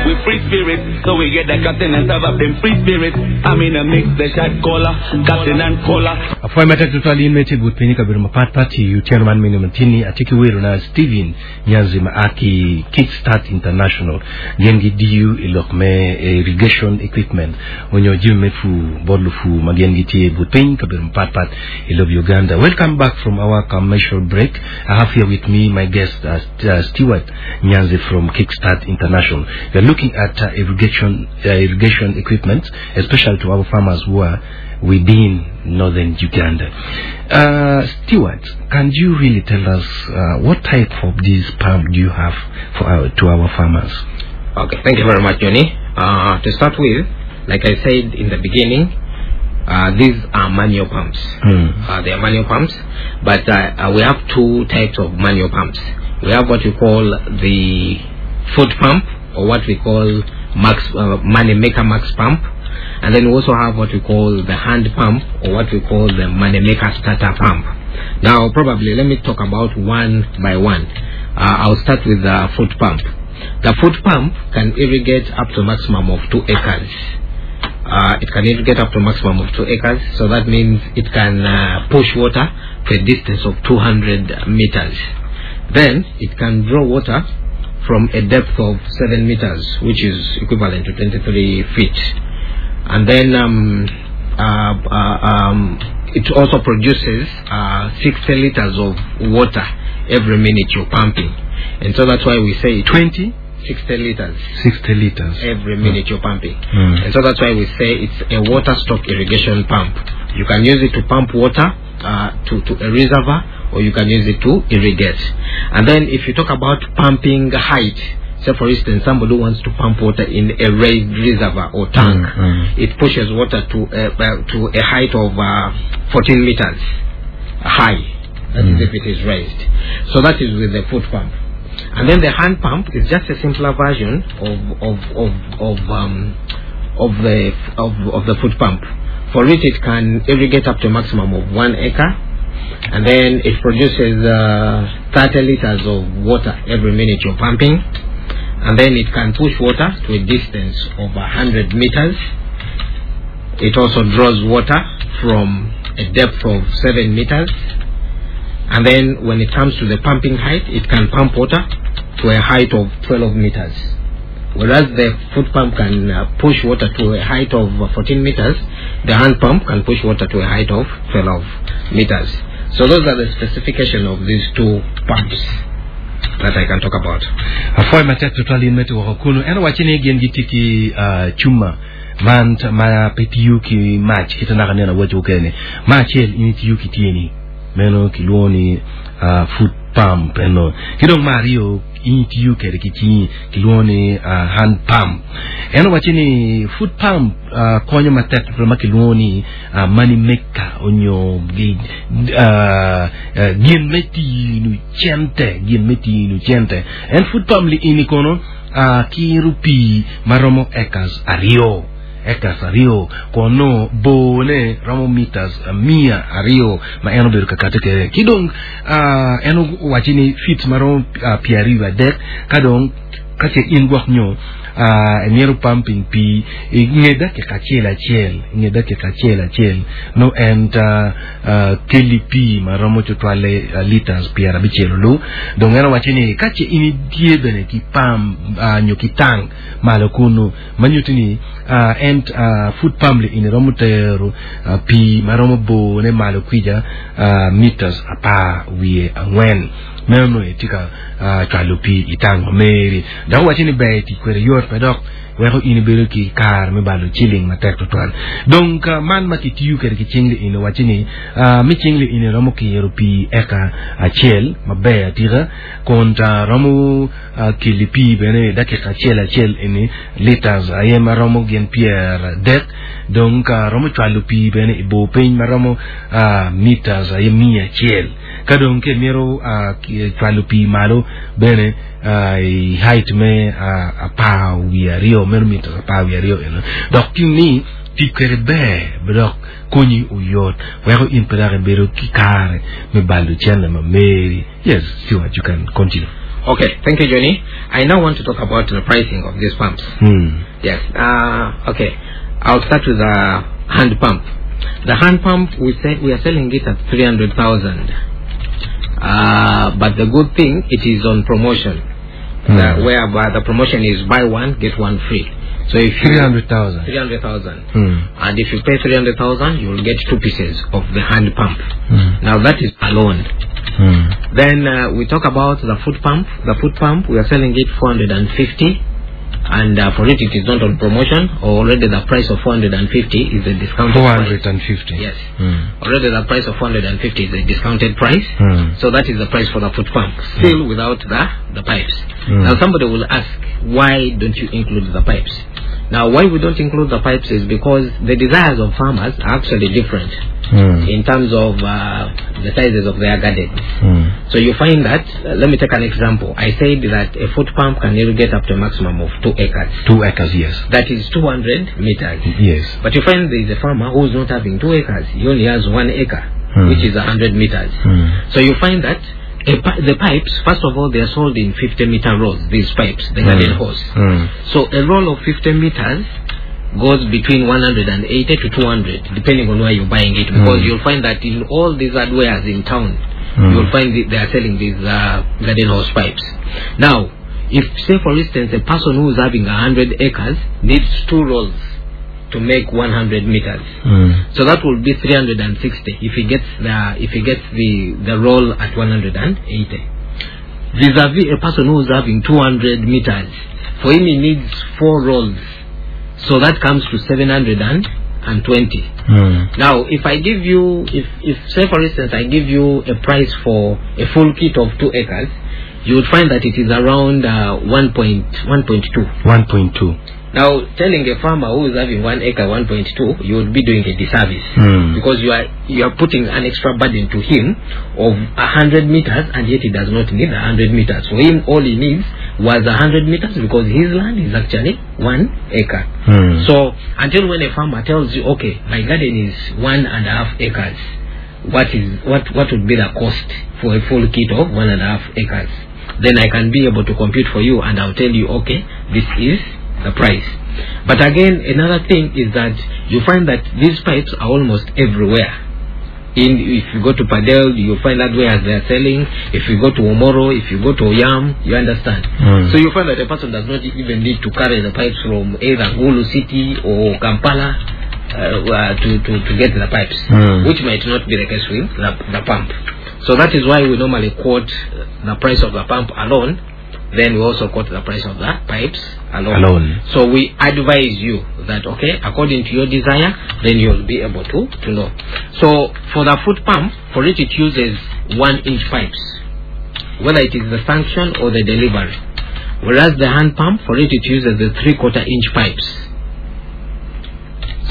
We free spirit, so we get the captain and serve up them free spirit. I'm in a mix, the shot caller, captain and cola. afwoy matek tutwal in me tye but piny i kabedo mapatpat i otyeno man mini matini atye ki wero na Steven Nyanzi ma a ki Kickstart International gin gidiyo i lok me irrigation equipment onyo jami me pur bot lupu ma gin gitye but piny kabedo mapatpat i lobo Uganda welcome back from our commercial break I have here with me my guest uh, St- uh, Stewart Nyanzi from Kickstart International we are looking at uh, irrigation uh, irrigation equipment especially to our farmers who are within northern Uganda. Uh, Stewart, can you really tell us uh, what type of this pump do you have for our, to our farmers? Okay, thank you very much, Johnny. Uh, to start with, like I said in the beginning, uh, these are manual pumps. Hmm. Uh, they are manual pumps, but uh, uh, we have two types of manual pumps. We have what we call the foot pump, or what we call max uh, money maker max pump, and then we also have what we call the hand pump, or what we call the money maker starter pump. Now, probably let me talk about one by one. Uh, I'll start with the foot pump. The foot pump can irrigate up to a maximum of two acres. Uh, it can irrigate up to a maximum of two acres, so that means it can uh, push water to a distance of two hundred meters. Then it can draw water from a depth of seven meters, which is equivalent to twenty-three feet. And then um, uh, uh, um, it also produces, uh, sixty liters of water every minute you're pumping. And so that's why we say twenty? sixty liters. sixty liters. Every minute you're pumping. Mm. And so that's why we say it's a water stock irrigation pump. You can use it to pump water, uh, to, to a reservoir, or you can use it to irrigate. And then if you talk about pumping height, say for instance somebody wants to pump water in a raised reservoir or tank, Mm, mm. it pushes water to, uh, uh, to a height of, uh, fourteen meters high. That is Mm. if it is raised. So that is with the foot pump. And then the hand pump is just a simpler version of, of, of, of, um, of the of, of the foot pump. For it, it can irrigate up to a maximum of one acre, and then it produces, uh, thirty liters of water every minute you're pumping, and then it can push water to a distance of a hundred meters. It also draws water from a depth of seven meters. And then when it comes to the pumping height, it can pump water to a height of twelve meters. Whereas the foot pump can, uh, push water to a height of fourteen meters, the hand pump can push water to a height of twelve meters. So those are the specification of these two pumps that I can talk about. Afwoy matek tutwal in me tuko kunu en owaco ni gin gitye ki, uh, cuma man t-, ma pe tiyo ki mac kite naka neno awaco okene ma acel in itiyo ki tyeni meno kilwongo ni, uh, foot pump eno ki dong ma aryo in itiyo kede ki cingi kilwongo ni, uh, hand pump en owaco ni foot pump, uh, konyo matek tutwal ma kilwongo ni, uh, money maker onyo gi, uh, uh, gin me tino cente gin me tino cente en foot pump li ini kono, uh, kiro pii maromo acres aryo acres aryo kono bone romo meters mia aryo ma en obedo ka kate kede ki dong uh, en owaci ni feet maromo uh, pyeraryo adek ka dong ka ce in gwok nyo uh, emyero pumping pii i nge dakika acel acel i nge dakika acel acel no en uh, uh, keli pii maromo tutwalle uh, liters pyerabicel olu dong en owaci ni ka ce in itye bene ki pump uh, nyo ki tank malo kunu manyuto ni uh, en uh, foot pump li ini romo tero uh, pii maromo bone malo kwija uh, meters apar wiye angwen meno itye ka uh, cwalo pii i tank ma meri dok owaci ni ber tic kwede yot pe dok weko in ibedo ki kare me balo ciling matek tutwal dong uh, man ma kitiyo kwede ki cingli ini owaci ni uh, mi cingli ini romo kiro pii eka acel maber atika kun ta romo uh, keli pii bene dakika acel acel ini liters aye maromo gin pyer adek dong ka romo cwalo pii bene i bor piny maromo uh, meters aye mia acel ka dong ke myero uh, cwalo pii malo bene uh, i height me uh, apar wiye aryo meno meters apar wiye aryo eno dok ki ni tic kwede ber dok konyi oyot weko in pe dok ibedo ki kare me balo cene ma meri yes Stewart you can continue Okay, thank you, Johnny. I now want to talk about the pricing of these pumps. hmm. Yes. Uh, okay. I'll start with the hand pump. The hand pump we say we are selling it at three hundred thousand. Uh, but the good thing, it is on promotion. Hmm. The, whereby the promotion is buy one get one free. So if you three hundred thousand three hundred thousand, hmm. and if you pay three hundred thousand, you will get two pieces of the hand pump. Hmm. Now that is alone. Hmm. Then uh, we talk about the foot pump. The foot pump, we are selling it four hundred and fifty, and uh, for it, it is not on promotion. Already the price of four hundred and fifty is a discounted four price. hundred and fifty Yes. hmm. Already the price of four hundred and fifty is a discounted price. Hmm. So that is the price for the foot pump, still without the, the pipes. Mm. Now somebody will ask, why don't you include the pipes? Now why we don't include the pipes is because the desires of farmers are actually different Hmm. in terms of uh, the sizes of their gardens. Hmm. So you find that, uh, let me take an example. I said that a foot pump can irrigate up to a maximum of two acres. two acres yes That is two hundred meters. yes But you find there is a farmer who is not having two acres. He only has one acre, Hmm. which is a hundred meters. Hmm. So you find that a pi- the pipes, first of all, they are sold in fifty meter rolls, these pipes, the garden hose. Hmm. So a roll of fifty meters goes between one hundred and eighty to two hundred, depending on where you're buying it. Because Mm. you'll find that in all these hardwares in town, Mm. you'll find that they are selling these uh, garden hose pipes. Now, if, say, for instance, a person who is having a hundred acres needs two rolls to make one hundred meters. Hmm. So that will be three hundred and sixty if he gets the if he gets the, the roll at one hundred and eighty. Vis-a-vis a person who is having two hundred meters, for him he needs four rolls. So that comes to seven hundred and twenty. Hmm. Now, if I give you, if, if say for instance I give you a price for a full kit of two acres, you would find that it is around uh, one point one point two. one point two Now, telling a farmer who is having one acre, one point two, you would be doing a disservice. Hmm. Because you are you are putting an extra burden to him of a hundred meters, and yet he does not need a hundred meters. For him, all he needs was a hundred meters because his land is actually one acre. Hmm. So until when a farmer tells you, okay, my garden is one and a half acres, what is what what would be the cost for a full kit of one and a half acres? Then I can be able to compute for you, and I'll tell you, okay, this is the price. But again, another thing is that you find that these pipes are almost everywhere. In if you go to Padel, you'll find that where they are selling. If you go to Omoro, if you go to Oyam, you understand. Mm. So you find that a person does not even need to carry the pipes from either Gulu City or Kampala uh, uh, to, to, to get the pipes, Mm. which might not be the case with the, the pump. So that is why we normally quote the price of the pump alone. Then we also quote the price of the pipes alone. Alone. So we advise you that, okay, according to your desire, then you'll be able to, to know. So for the foot pump, for it, it uses one inch pipes, whether it is the sanction or the delivery. Whereas the hand pump, for it, it uses the three quarter inch pipes.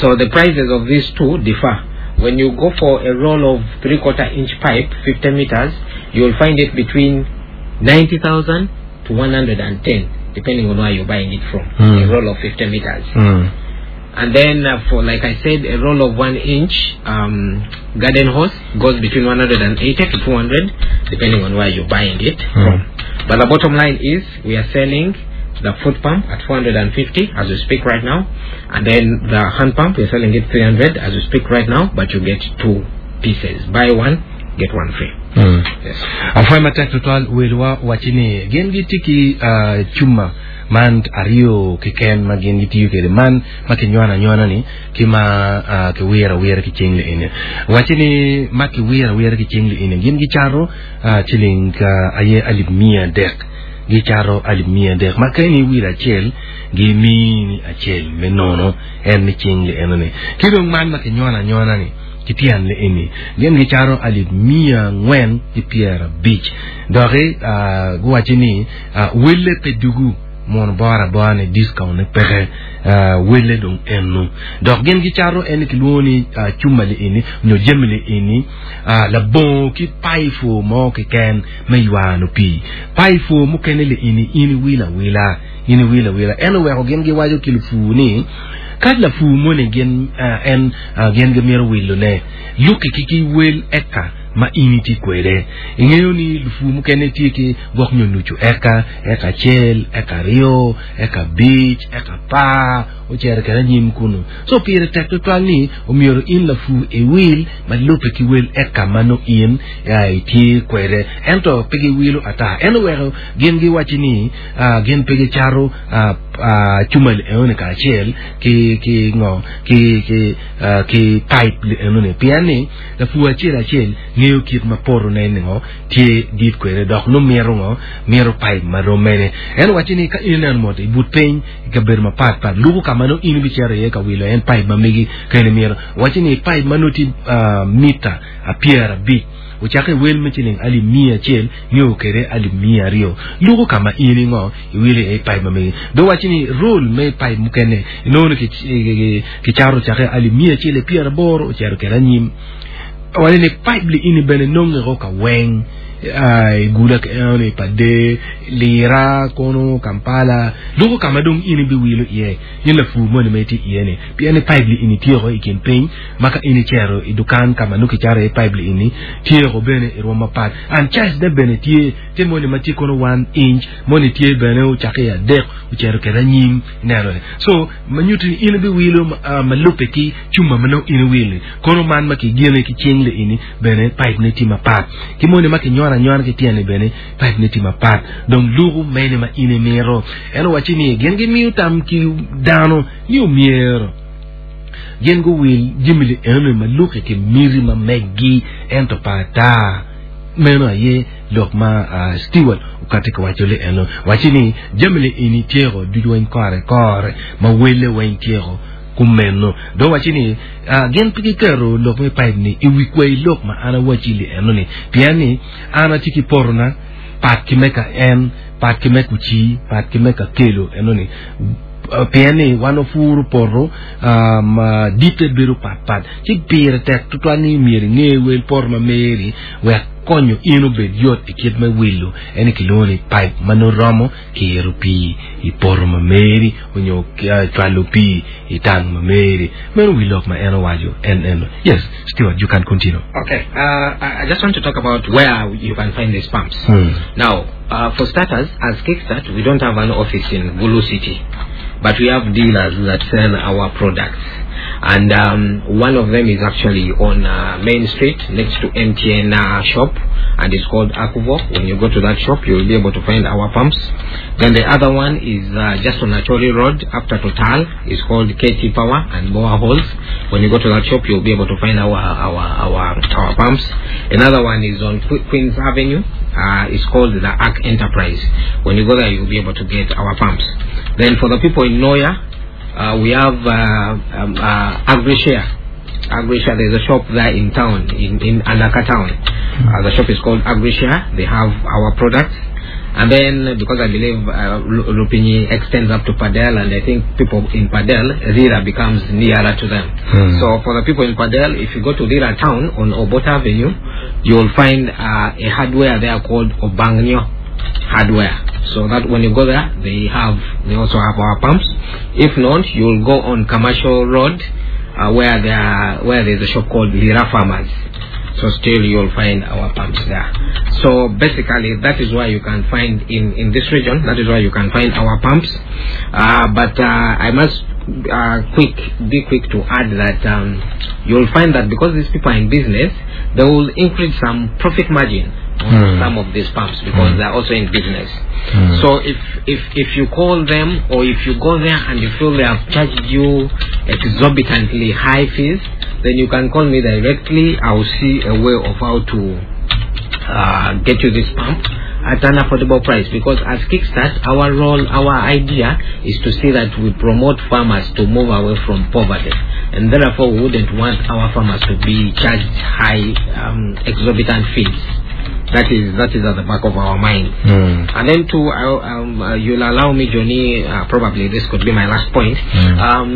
So the prices of these two differ. When you go for a roll of three quarter inch pipe, fifty meters, you'll find it between ninety thousand to one hundred and ten, depending on where you're buying it from. Mm. A roll of fifty meters. Hmm. And then, uh, for like I said, a roll of one inch um, garden hose goes between one hundred and eighty to two hundred, depending on where you're buying it from. But the bottom line is, we are selling the foot pump at four hundred and fifty as we speak right now, and then the hand pump, we're selling it three hundred as we speak right now, but you get two pieces. Buy one, get one free. Mm. Yes. Afwe matek tutwal welwa wachini gin gitye ki uh, cuma man aryo keken ma gin gitiyo kede man ma kinywano anywano ni ki ma uh, kiwiro awira ki cing liini wachini ma kiwiro awira ki cing liini gin gicaro uh, ciling uh, aye alip mia adek gicaro alip mia adek ma ka in iwiro acel gimini acel me nono en ni cing lieni ni ki dong man ma kinywano anywano ni ki tyen liini gin gicaro alip mia angwen ki pyerabic doki uh, guwaci ni uh, welle pe dugu mono bora bora ni discount ni peke uh, welle dong enu dok gin gicaro en kilwongo ni uh, cuma liini nyo jami liini uh, labongo ki paifo mo keken me ywano pii paifo mukene liini in iwilo awila in iwilo awila en oweko gin giwaco ki lupur ni ka lapur moni gin uh, en uh, gin gimito wilone luki ki ki wel eka ma in itye kwede ing'eyo ni lupur mukene tye ki gwok nyo nucu eka eka acel eka aryo eka abic eka apar ocero kede anyim kunu so pire tek tutwal ni omyero in lapur iwil ma lube ki wel eka ma nongo in uh, itye kwede ento pe giwilo ata en oweko gin giwaci ni uh, gin pe gicaro uh, uh, cuma li enoni kacel ki ki ngo ki ki uh, ki pipe li enoni pien ni lapur acel acel ng'eyo kit ma potone ni ngo tye dit kwede dok nongo mito ngo mito pipe ma rom mene en owaci ni ka in ineno mot i but piny i kabedo mapat pat luko ka ma nongo in ibicito iye ka wilo en pipe ma megi ka in imito owaci ni pipe ma nongo tye uh, mita pyerabic ocake wel me ciling alip mia acel nio kede alip mia aryo luko ka ma in ingo iwilo iye pipe ma megi do waci ni roll me pipe mukene inongo ni kicaro ocake alip mia acel pyeraboro ocero kede anyim waci ni pipe li ini bene nongeo ka weng uh, igula enoni pade lira kono Kampala luko ka ma dong in ibiwilo iye in lapur moni ma itye iye ni pien ni pipe li ini tyeko i kin piny ma ka in icero i dukan ka ma nongo kicaro iye pipe li ini tyeko bene i rwom mapat and size ne bene tye tye moni ma tye kono one inch moni tye bene ocake i adek ocero kede anyim ineno so ma nyuto ni in ibiwilo uh, ma lube ki cuma ma nongo in iwilo kono man ma kigine ki cing li ini bene pipe ne tye mapat ki moni ma kinywano anywano ki tyene bene pipe ne tye mapat dong luko mene ma in imito en owaci ni gin gimiyo tam ki dano ni omyero gin guwil jami li enoni ma luki ki miti ma meggi ento pa ata meno aye lok ma uh, Stewart okati ka waco li eno waci ni jami li ini tyeko ducu weng kore kore ma wele weng tyeko kumeno do waci ni uh, gin pe giketo lok me pipe ni i wi kwei lok ma an awaci li eno ni pien ni an atye ki potona pat ki me ka en pat ki me kuci pat ki me ka kelo eno ni Uh, pien ni wan opuro poto uh, ma ditte bedo patpat ci pire tek tutwal ni myero inge wel poto ma meri wek konyo in obed yot i kit me wilo eni kilwongo ni pipe ma nongo romo kiro pii i poto ma meri onyo uh, cwalo pii i tang ma meri meno wi lok ma en owaco en eno yes Stewart you can continue Okay, uh, I I just want to talk about where you can find these pumps. Hmm. Now, uh, for starters, as Kickstart, we don't have an office in Gulu City, but we have dealers that sell our products. And um, one of them is actually on uh, Main Street next to M T N uh, shop, and it's called Akuvo. When you go to that shop, you will be able to find our pumps. Then the other one is uh, just on Acholi Road after Total. It's called K T Power and Boa Halls. When you go to that shop, you'll be able to find our, our, our, our pumps. Another one is on Que-, Queens Avenue. Uh, it's called the Ark Enterprise. When you go there, you'll be able to get our pumps. Then for the people in Noya, uh, we have, uh, um, uh, AgriShare. AgriShare, there's a shop there in town, in, in Anaka town. Uh, the shop is called AgriShare. They have our products. And then, because I believe, uh, Lu-, Lupini extends up to Padel, and I think people in Padel, Lira becomes nearer to them. Hmm. So for the people in Padel, if you go to Lira town on Obote Avenue, you will find, uh, a hardware there called Obangnyo Hardware. So that when you go there, they have they also have our pumps. If not, you'll go on Commercial Road, uh, where there are, where there's a shop called Lira Farmers. So still you'll find our pumps there. So basically that is why you can find in, in this region, that is why you can find our pumps. Uh, but uh, I must uh, quick be quick to add that um, you'll find that because these people are in business, they will increase some profit margin on Mm. some of these pumps because Mm. they're also in business. Mm. So if, if if you call them or if you go there and you feel they have charged you exorbitantly high fees, then you can call me directly. I'll see a way of how to uh, get you this pump at an affordable price, because as Kickstart, our role, our idea is to see that we promote farmers to move away from poverty, and therefore we wouldn't want our farmers to be charged high, um, exorbitant fees. That is that is at the back of our mind. Mm. And then two, I, um, uh, you'll allow me, Johnny, uh, probably this could be my last point. Mm. Um,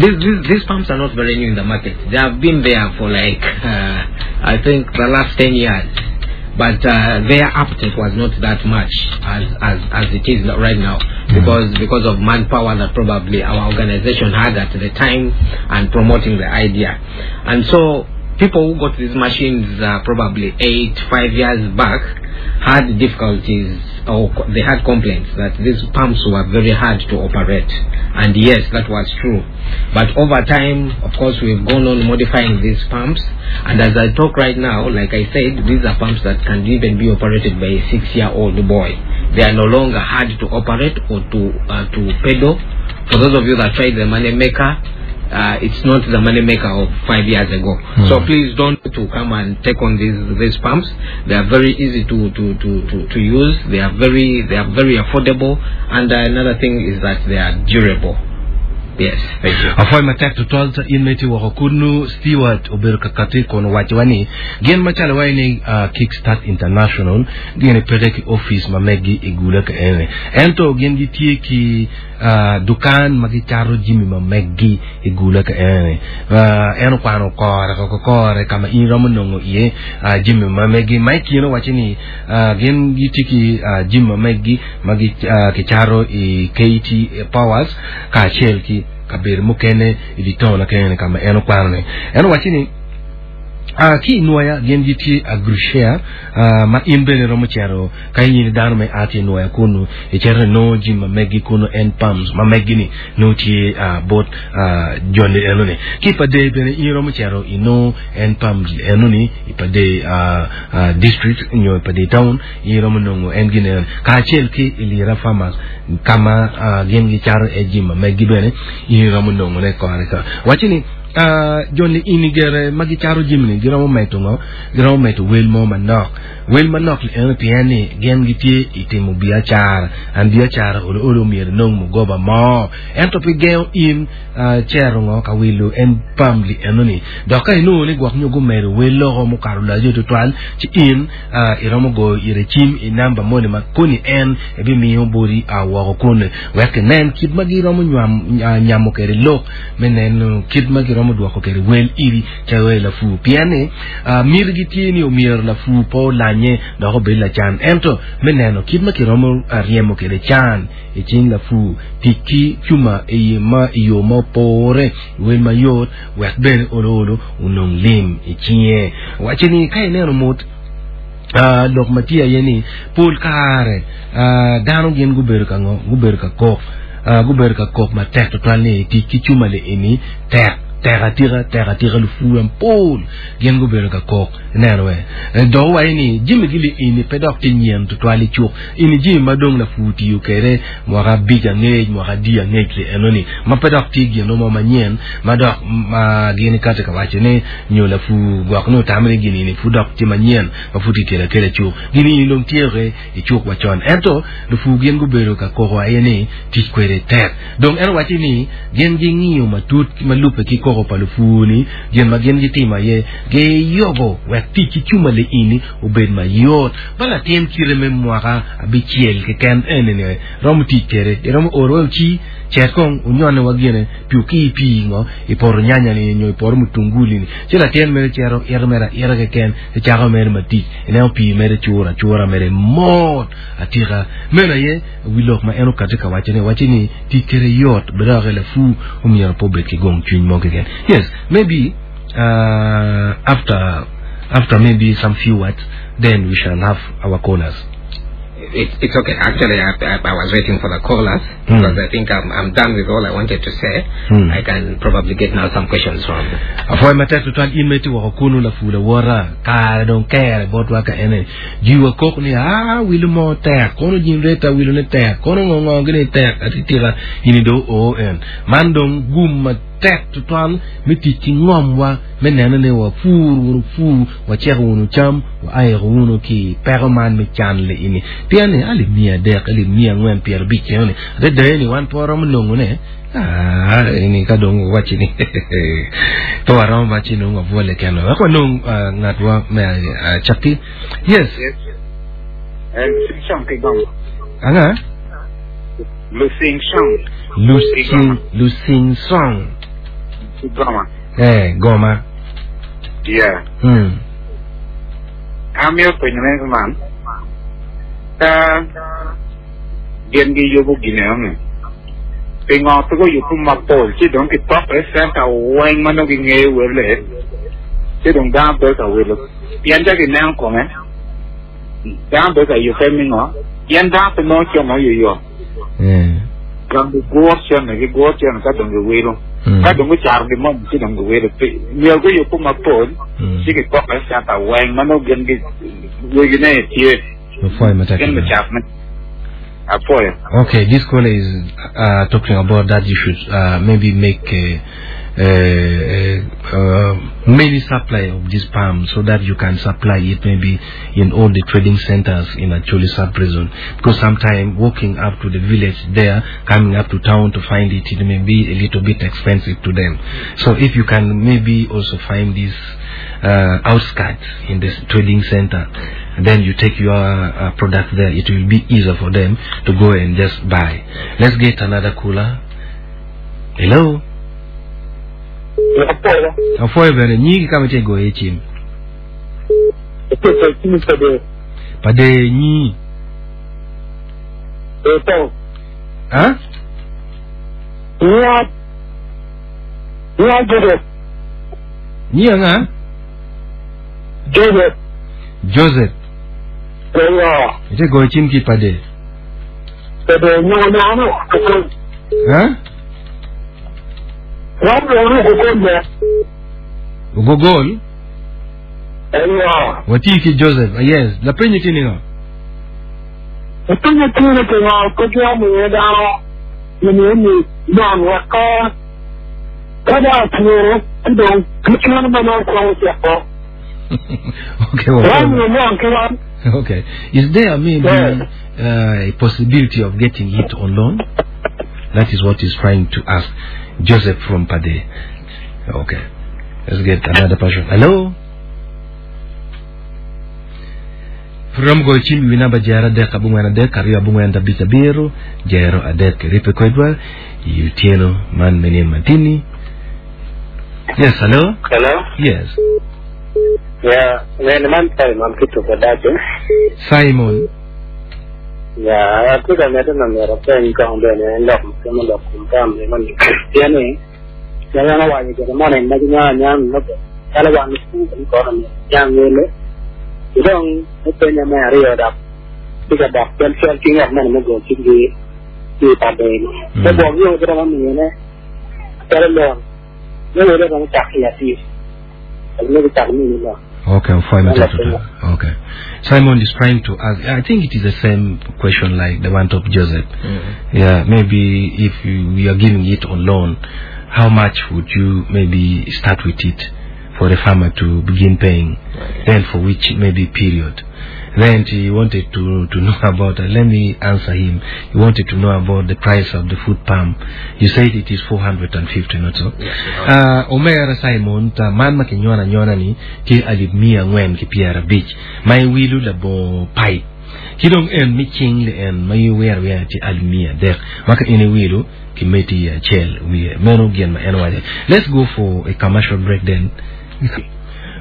these, these, these pumps are not very new in the market. They have been there for like, uh, I think the last ten years. But uh, their uptake was not that much as, as, as it is right now, because, because of manpower that probably our organization had at the time and promoting the idea. And so people who got these machines uh, probably eight, five years back had difficulties, or co- they had complaints that these pumps were very hard to operate. And yes, that was true. But over time, of course, we've gone on modifying these pumps. And as I talk right now, like I said, these are pumps that can even be operated by a six-year-old boy. They are no longer hard to operate or to, uh, to pedal. For those of you that tried the money maker, uh, it's not the money maker of five years ago. Mm. So please don't to come and take on these, these pumps. They are very easy to, to, to, to, to use. They are very, they are very affordable. And uh, another thing is that they are durable. Yes, thank you. Afoy matek tutwal ta in meti woko kunu Stewart obedo kakati kono wacho wani gin machalo wai ni uh, Kickstart International gin peke ki office ma megi igule ka ene ento gin gitie ki uh, dukan ma gicharo jimi ma megi igule ka ene uh, eno kwano kore ko kore kama in romo nongo iye uh, jimi ma megi ma ikino wacho ni uh, gin gitie ki uh, jimi ma megi ma gi uh, kicharo i K T Powers kaachiel ki kabedo mukene i di town kene kama en okwano ni en owacho ni Uh, ki inwoya gin gitye agrushare uh, ma in bene romo cero ka in dano me ati inwoya kunu icero inongo jim ma megi kunu en pumps ma megi ni nongo tye uh, bot uh, joni enoni ki pa dei bene in romo cero inongo en pumps enoni i pa dei uh, uh, district nyo i pa dei town in romo nongo en gin enoni kacel ki i Lira Farmers kama uh, gin gicaro e jim ma megi bene in romo nongo ne kore ka waci ni Uh, joni ini gere ma gicaro jimni giromo meto ngo giromo meto wel mo manok wel manok li eno pien ni gin gitye i timo biacara an biacara olo olo myero nong mugoba mo ento pi gengo in uh, cero ngo ka wilo en pam li eno ni dok ka inongo ni gwok nyo gumedo wel loko mukato laco tutwal ci in uh, iromo goyo ire cim i namba moni ma koni en ebimiyo boti uh, woko koni wek inen kit ma giromo nywam, uh, nyamo kede lok me neno kit ma giromo dwoko kede wel iri ca wel lafu pien ni uh, mir gitye ni omyero lafu po olanye dok obed lacan ento me neno kit ma kiromo ryemo kede can i cing lafu tic ki cuma i ma i yo ma opore wel mayot wek bene olo olo onong lim i cinge waci ni ka ineno mot Uh, lok ma tye aye ni pol kare uh, dano gin gubedo ka ngo gubedo ka kok uh, gubedo ka kok matek tutwal ni tic ki cuma li eni tek tek atika tek atika lufu pol gin gubedo ka kok ineno we dok waci ni jimi gili eni pe dok tye nyen tutwal i cuk eni jimi ma dong lafu tiyo kede mwaka abic angec mwaka adi angec li enoni ma pe dok tye gino mo manyen ma dok ma gin kati ka waco ni nyo lafu gwok ni otamo ni gini ni pud dok tye manyen ma pud kikelo akela i cuk gini ini dong tye i cuk wacon ento lufu gin gubedo ka koko aye ni tic kwede tek dong en owaci ni gin ging'iyo matut ma lube ki koko koko pa lupur-ni gin ma gin gitimo aye giyobo wek tic ki cuma liini obed mayot ba latin kite me mwaka abicel keken enini romo tic kede iromo oro wek ci cet kong onyone wa gine pi okii pii ngo i poto nyanya ni nyo i poto mutunguli ni ci latin mere cito ito mere aita keken icako mere matic ineno pii mere curo acura mere mot atika meno aye wi lok ma en okati ka waco ni waci ni tic kede yot bedoke lapur omyero pe obed ki gong cwiny mo keken yes maybe uh, after after maybe some few words then we shall have our callers It, it's okay. Actually, I, I, I was waiting for the callers Mm. because I think I'm, I'm done with all I wanted to say. Mm. I can probably get now some questions from. afoy matek tutwal in ma itye woko kunu lapur lawota kare dong kere botwa ka ene jiwa kok ni a wilo mo tek kono jin reta wilo ne tek kono ngo ngo gini tek atitika ini do o en man dong gum matek tutwal me tic ki ngomwa me neno ni wa pur wunu pur waceko wunu cam wa ayeko wunu ki peko man me can li ini pien ni alip mia adek alip mia angwen pyero abic eno ni adada ni wan pe waromo nongo ne Ah, ini ka dong waci ni pe waromo waci nong wabwole keno wek wanong uh, ngatwa me uh, cakki yes Sing Shong ki goma. anga Lusing Shong Lusing Lusing Song ki goma. eh goma Yeah. hmm Amiyo penyo me man. Ka gin gi yubo gine onge. Pingo pe go yubo mapol ci dong ki pok e center weng ma nongo ging'eyo wele. Ci dong dano be ka wilo. Pien ja gineno kome. Dano be ka yube mingo. Pien dano pe nongo cemo yoyo. eh Dong giguo cene giguo cene ka dong giwilo. hmm Ka dong gucaro gin moni ci dong giwilo. Myero guyubo mapol. hmm ci gipoko e center weng ma nongo gin gi wegine tye Afoy matek gin tutwal. bicak me apoyo Okay, this caller is uh, talking about that you should uh, maybe make a, a, a, many supply of this palm so that you can supply it maybe in all the trading centers in Acholi sub-prison. Because sometimes walking up to the village there, coming up to town to find it, it may be a little bit expensive to them. So if you can maybe also find this uh, outskirts in this trading center, and then you take your uh, product there, it will be easier for them to go and just buy. Let's get another caller. Hello. Afoy bene nyingi kama te go echim. Pade nyi. Ha? Nyi anga? Joseph. Ite go echim ki pade. Ha? Gogol? Wati ki Joseph. Ah, Yes. La penye tini ngo. Okay. Well, okay. Is there maybe uh, a possibility of getting it on loan? That is what he's trying to ask Joseph from Pade. Okay. Let's get another person. Hello? From Gochim, we number Jera Dek Abungwana Dek, Ario Abungwana Bita Biro, Jero Adek Ripe Kwedwa, Utieno Man Menin Mantini. Yes, hello? Hello? Yes. Yeah, well, man, Simon Kitu Kadacho. Simon. Yeah, atye ka medde na myero apeny kong bene lok mukene lok kom tam ni man pien ni pien an owaco gire moni ma ginyo anya lobo calo wan lupur kono myero niang wele ki dong epenya me aryo dok tye ka dok cal cal ki ngat moni me go cinggi ki i pade-ni Mm. me gwok yo giromo miyone calo loan me wele romo cako i atir me gicako mini loan Okay, five Well, minutes. Okay. Simon is trying to ask, I think it is the same question like the one of Joseph. Yeah, maybe if you, we are giving it on loan, how much would you maybe start with it? for the farmer to begin paying. Okay. Then for which maybe period. Then he wanted to, to know about, uh, let me answer him. He wanted to know about the price of the foot pump. You said it is four hundred and fifty, not so? Yes. Uh, Omera Simon, ta man ma kinyona nyona ni, ki alip mia ngwen ki piera beach. Ma iwilu labo pipe. Ki dong en mi ching le en ma iwer wer ti alip mia dek. Maka ini wilu ki meti acel wiye. Meno gien ma en wache. Let's go for a commercial break then.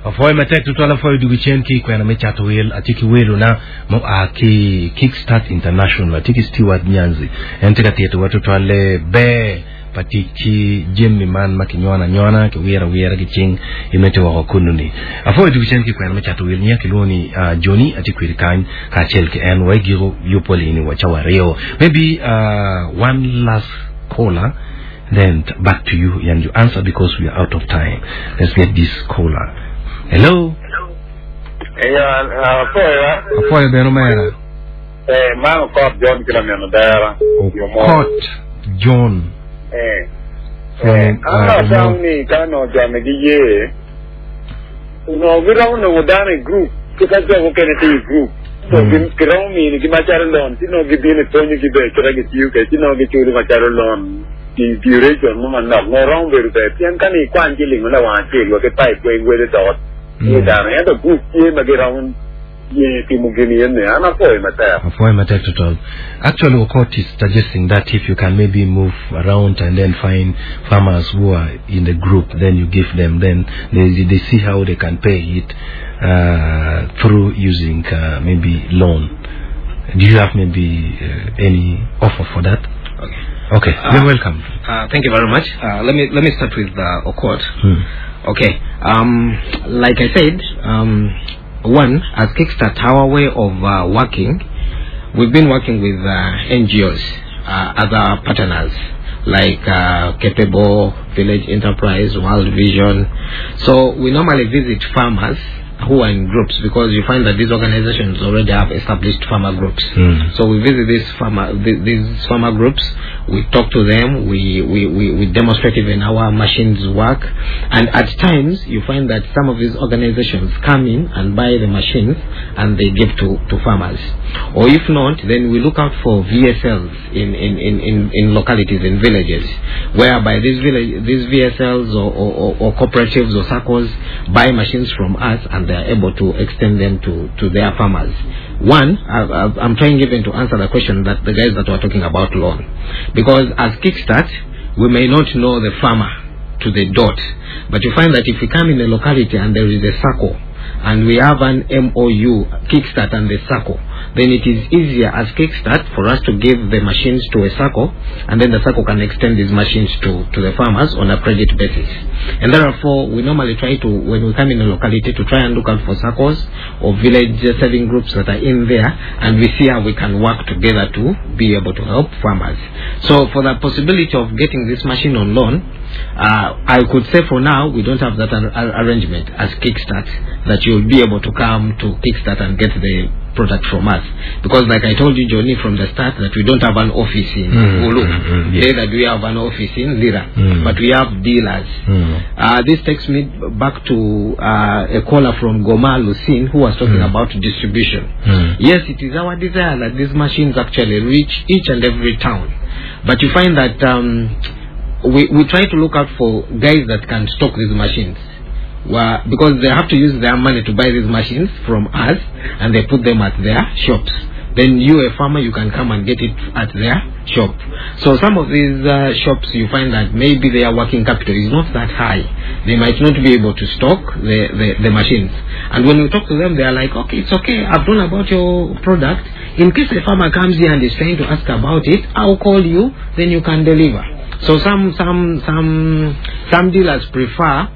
Afoy matek tutwal afoy dugu chen ki kwena me chato wil ati ki welo na mo a ki Kickstart International ati ki Stewart Nyanzi en tika tieto wa tutwal le be pati ki jemmi man ma ki nyona nyona ki wira wira ki ching imete wako kununi afoy dugu chen ki kwena me chato wil nya ki luoni uh, Johnny ati kwiri kany ka chel ki en wa giro yupoli ni wa chawario. Maybe uh, one last caller, then back to you and you answer because we are out of time. Let's get this caller. Hello. Eh, afoya. Afoy beno mera. Eh, man Okot John kila miano dara. Okot John. Eh. From, Eh, uh, ano tang ni kano jame gi ye. No gira no dane group. Kita jo ko kene ti group. So Mm. gi kira mi ni gi macharo lon, ti no gi bine tonyo gi be kira gi tiu ke ti no gi churu macharo lon. Di duration mo man nok no rong beru be. Pien kani kwan ji ling la wan chi lo ke pai kwe gwe de dot. Mm. Ni dane ento group ye ma gira un ye ti mo gini ne ana foi matek. Afoy matek total. Actually, Okot is suggesting that if you can maybe move around and then find farmers who are in the group, then you give them, then they, they see how they can pay it uh, through using uh, maybe loan. Do you have maybe uh, any offer for that? Okay. Okay, Uh, you're welcome. Uh, thank you very much. Uh, let me let me start with uh, Okot. Hmm. Okay. Um, like I said, um, one, as Kickstart, our way of uh, working, we've been working with uh, N G Os, uh, other partners like uh, Capable, Village Enterprise, World Vision. So we normally visit farmers who are in groups, because you find that these organizations already have established farmer groups. Mm. So we visit these farmer, th- these farmer groups, we talk to them, we, we, we, we demonstrate even how our machines work. And at times, you find that some of these organizations come in and buy the machines and they give to, to farmers. Or if not, then we look out for V S Ls in, in, in, in, in localities, in villages, whereby these, village, these V S Ls or, or, or, or cooperatives or SACCOs buy machines from us and they are able to extend them to, to their farmers. One, I, I, I'm trying even to answer the question that the guys that were talking about loan. Because as Kickstart, we may not know the farmer to the dot. But you find that if we come in a locality and there is a SACCO, and we have an M O U, Kickstart and the SACCO, then it is easier as Kickstart for us to give the machines to a SACCO, and then the SACCO can extend these machines to, to the farmers on a credit basis. And therefore, we normally try to, when we come in a locality, to try and look out for SACCOs or village saving groups that are in there, and we see how we can work together to be able to help farmers. So for the possibility of getting this machine on loan, uh, I could say for now, we don't have that ar- ar- arrangement as Kickstart, that you'll be able to come to Kickstart and get the product from us. Because like I told you, Johnny, from the start, that we don't have an office in Mm, Gulu. mm, mm, yes. Neither do we have an office in Lira. Mm. But we have dealers. Mm. Uh, this takes me back to, uh, a caller from Goma, Lucine, who was talking Mm. about distribution. Mm. Yes, it is our desire that these machines actually reach each and every town. But you find that, um, we, we try to look out for guys that can stock these machines. Well, because they have to use their money to buy these machines from us, and they put them at their shops. Then you, a farmer, you can come and get it at their shop. So some of these, uh, shops, you find that maybe their working capital is not that high. They might not be able to stock the, the, the machines. And when we talk to them, they are like, okay, it's okay, I've known about your product. In case a farmer comes here and is trying to ask about it, I'll call you, then you can deliver. So some, some, some, some dealers prefer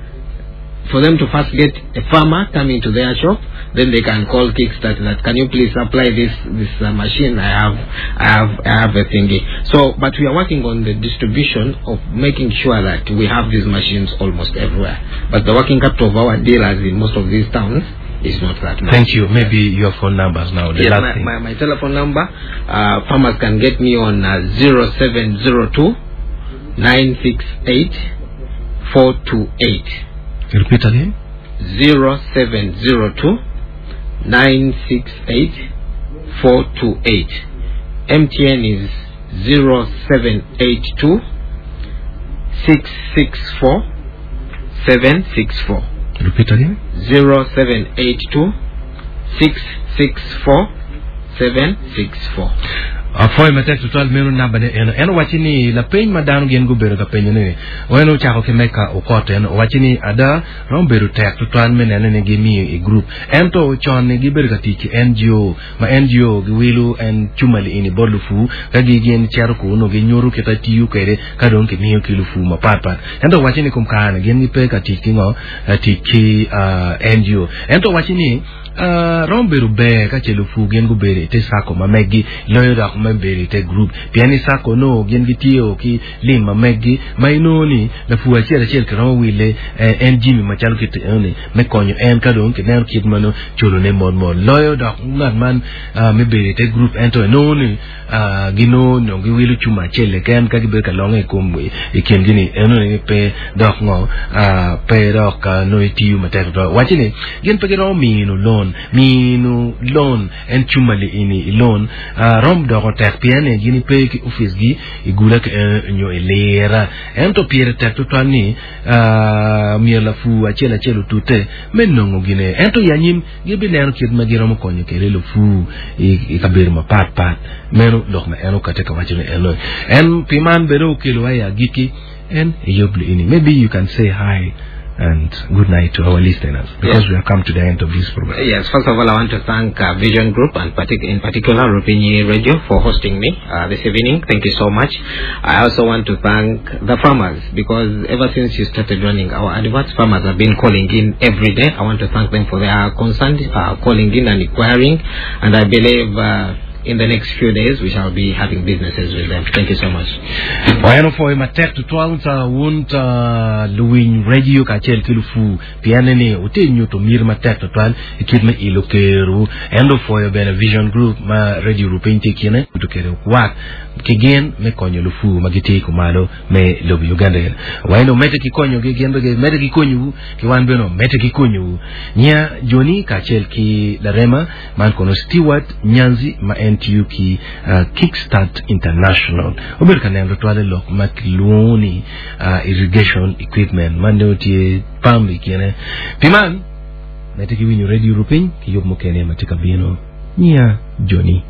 for them to first get a farmer coming to their shop, then they can call Kickstart that, can you please supply this, this, uh, machine? I have, I have, I have a thingy. So, but we are working on the distribution of making sure that we have these machines almost everywhere. But the working capital of our dealers in most of these towns is not that much. Thank you. Maybe your phone numbers now. The Yes, last my, thing. my, my telephone number, uh, farmers can get me on, uh, zero seven zero two nine six eight four two eight. Repeat again. zero seven zero two nine six eight four two eight. M T N is zero seven eight two six six four seven six four. Repeat again. zero seven eight two six six four seven six four. Afoy matek tutwal meno namba ne eno en owaci ni lapeny ma dano gin gubedo ka penyo ni en ocako ki meka okot en owaci ni ada romo bedo tek tutwal me neno ni gimiyo i group ento con ni gibedo ka tic ki N G O ma N G O giwilo en cumali ini bot lufu ka gi gin cero kuno ginyuto kita tiyo kwede ka dong kimiyo ki lufu mapatpat ento owaci ni kom kare gin gipe ka tic ki ngo tic ki N G O ento owaci ni Uh, rom bedo ber ka ce lufu gin gubedo ite sako ma meggi loyo dok me bedo ite group pien ni sako no gin gitiyo ki lim ma meggi ma inongo ni lafu acel acel kiromo wile eh, en jimi macalo kit enoni me konyo en ka dong kineno kit mano culone mot mot loyo dok ngat man uh, me bedo ite group ento inongo ni uh, ginongo nyo giwilo cuma acel keken ka gibedo ka longe i kom i kingi ni enoni ni pe dok ngo uh, pe dok uh, nongo itiyo matek tutwal waci ni gin pe giromo mino loan mino loan en cuma li ini i loan uh, rom doko tek pien ni gin pe ki office gi igula ki eh, nyo i lira ento pire tek tutwal ni uh, myero lafu acel acel otute me nongo gine ento i anyim gibineno kit ma giromo konyo kede lufu i, i kabedo mapatpat meno lok ma en okate ka waco ni eno en pi man bene okelo i agikki en eyub li ini maybe you can say hi and good night to our listeners because Yeah. we have come to the end of this program. Yes, first of all, I want to thank uh, Vision Group and partic- in particular Rupinyi Radio for hosting me uh, this evening. Thank you so much. I also want to thank the farmers because ever since you started running our adverts, farmers have been calling in every day. I want to thank them for their concern, uh, calling in and inquiring, and I believe uh, in the next few days we shall be having businesses with them. Thank you so much. Wayano foi matek tutwal ta wun ta luwiny radio kacel ki lufu pien ni ute nyuto mir matek tutwal i kit me ilo keru endo foyo bene Vision Group ma radio rupiny tye kine to kere kwak ki gin me konyo lufu ma gitye kumalo me lobo Uganda wayano mete ki konyo gi gin bene mete ki konyowu ki wan bene mete ki konyowu nya Joni kacel ki Larema man kono Stewart Nyanzi ma en tiyo ki uh, Kickstart International obedo ka neno twale lok ma kilwongo ni uh, irrigation equipment man dong tye pam i kine pi man mete ki winyo radio rupiny ki yub mukene ma tye ka bino nya Joni.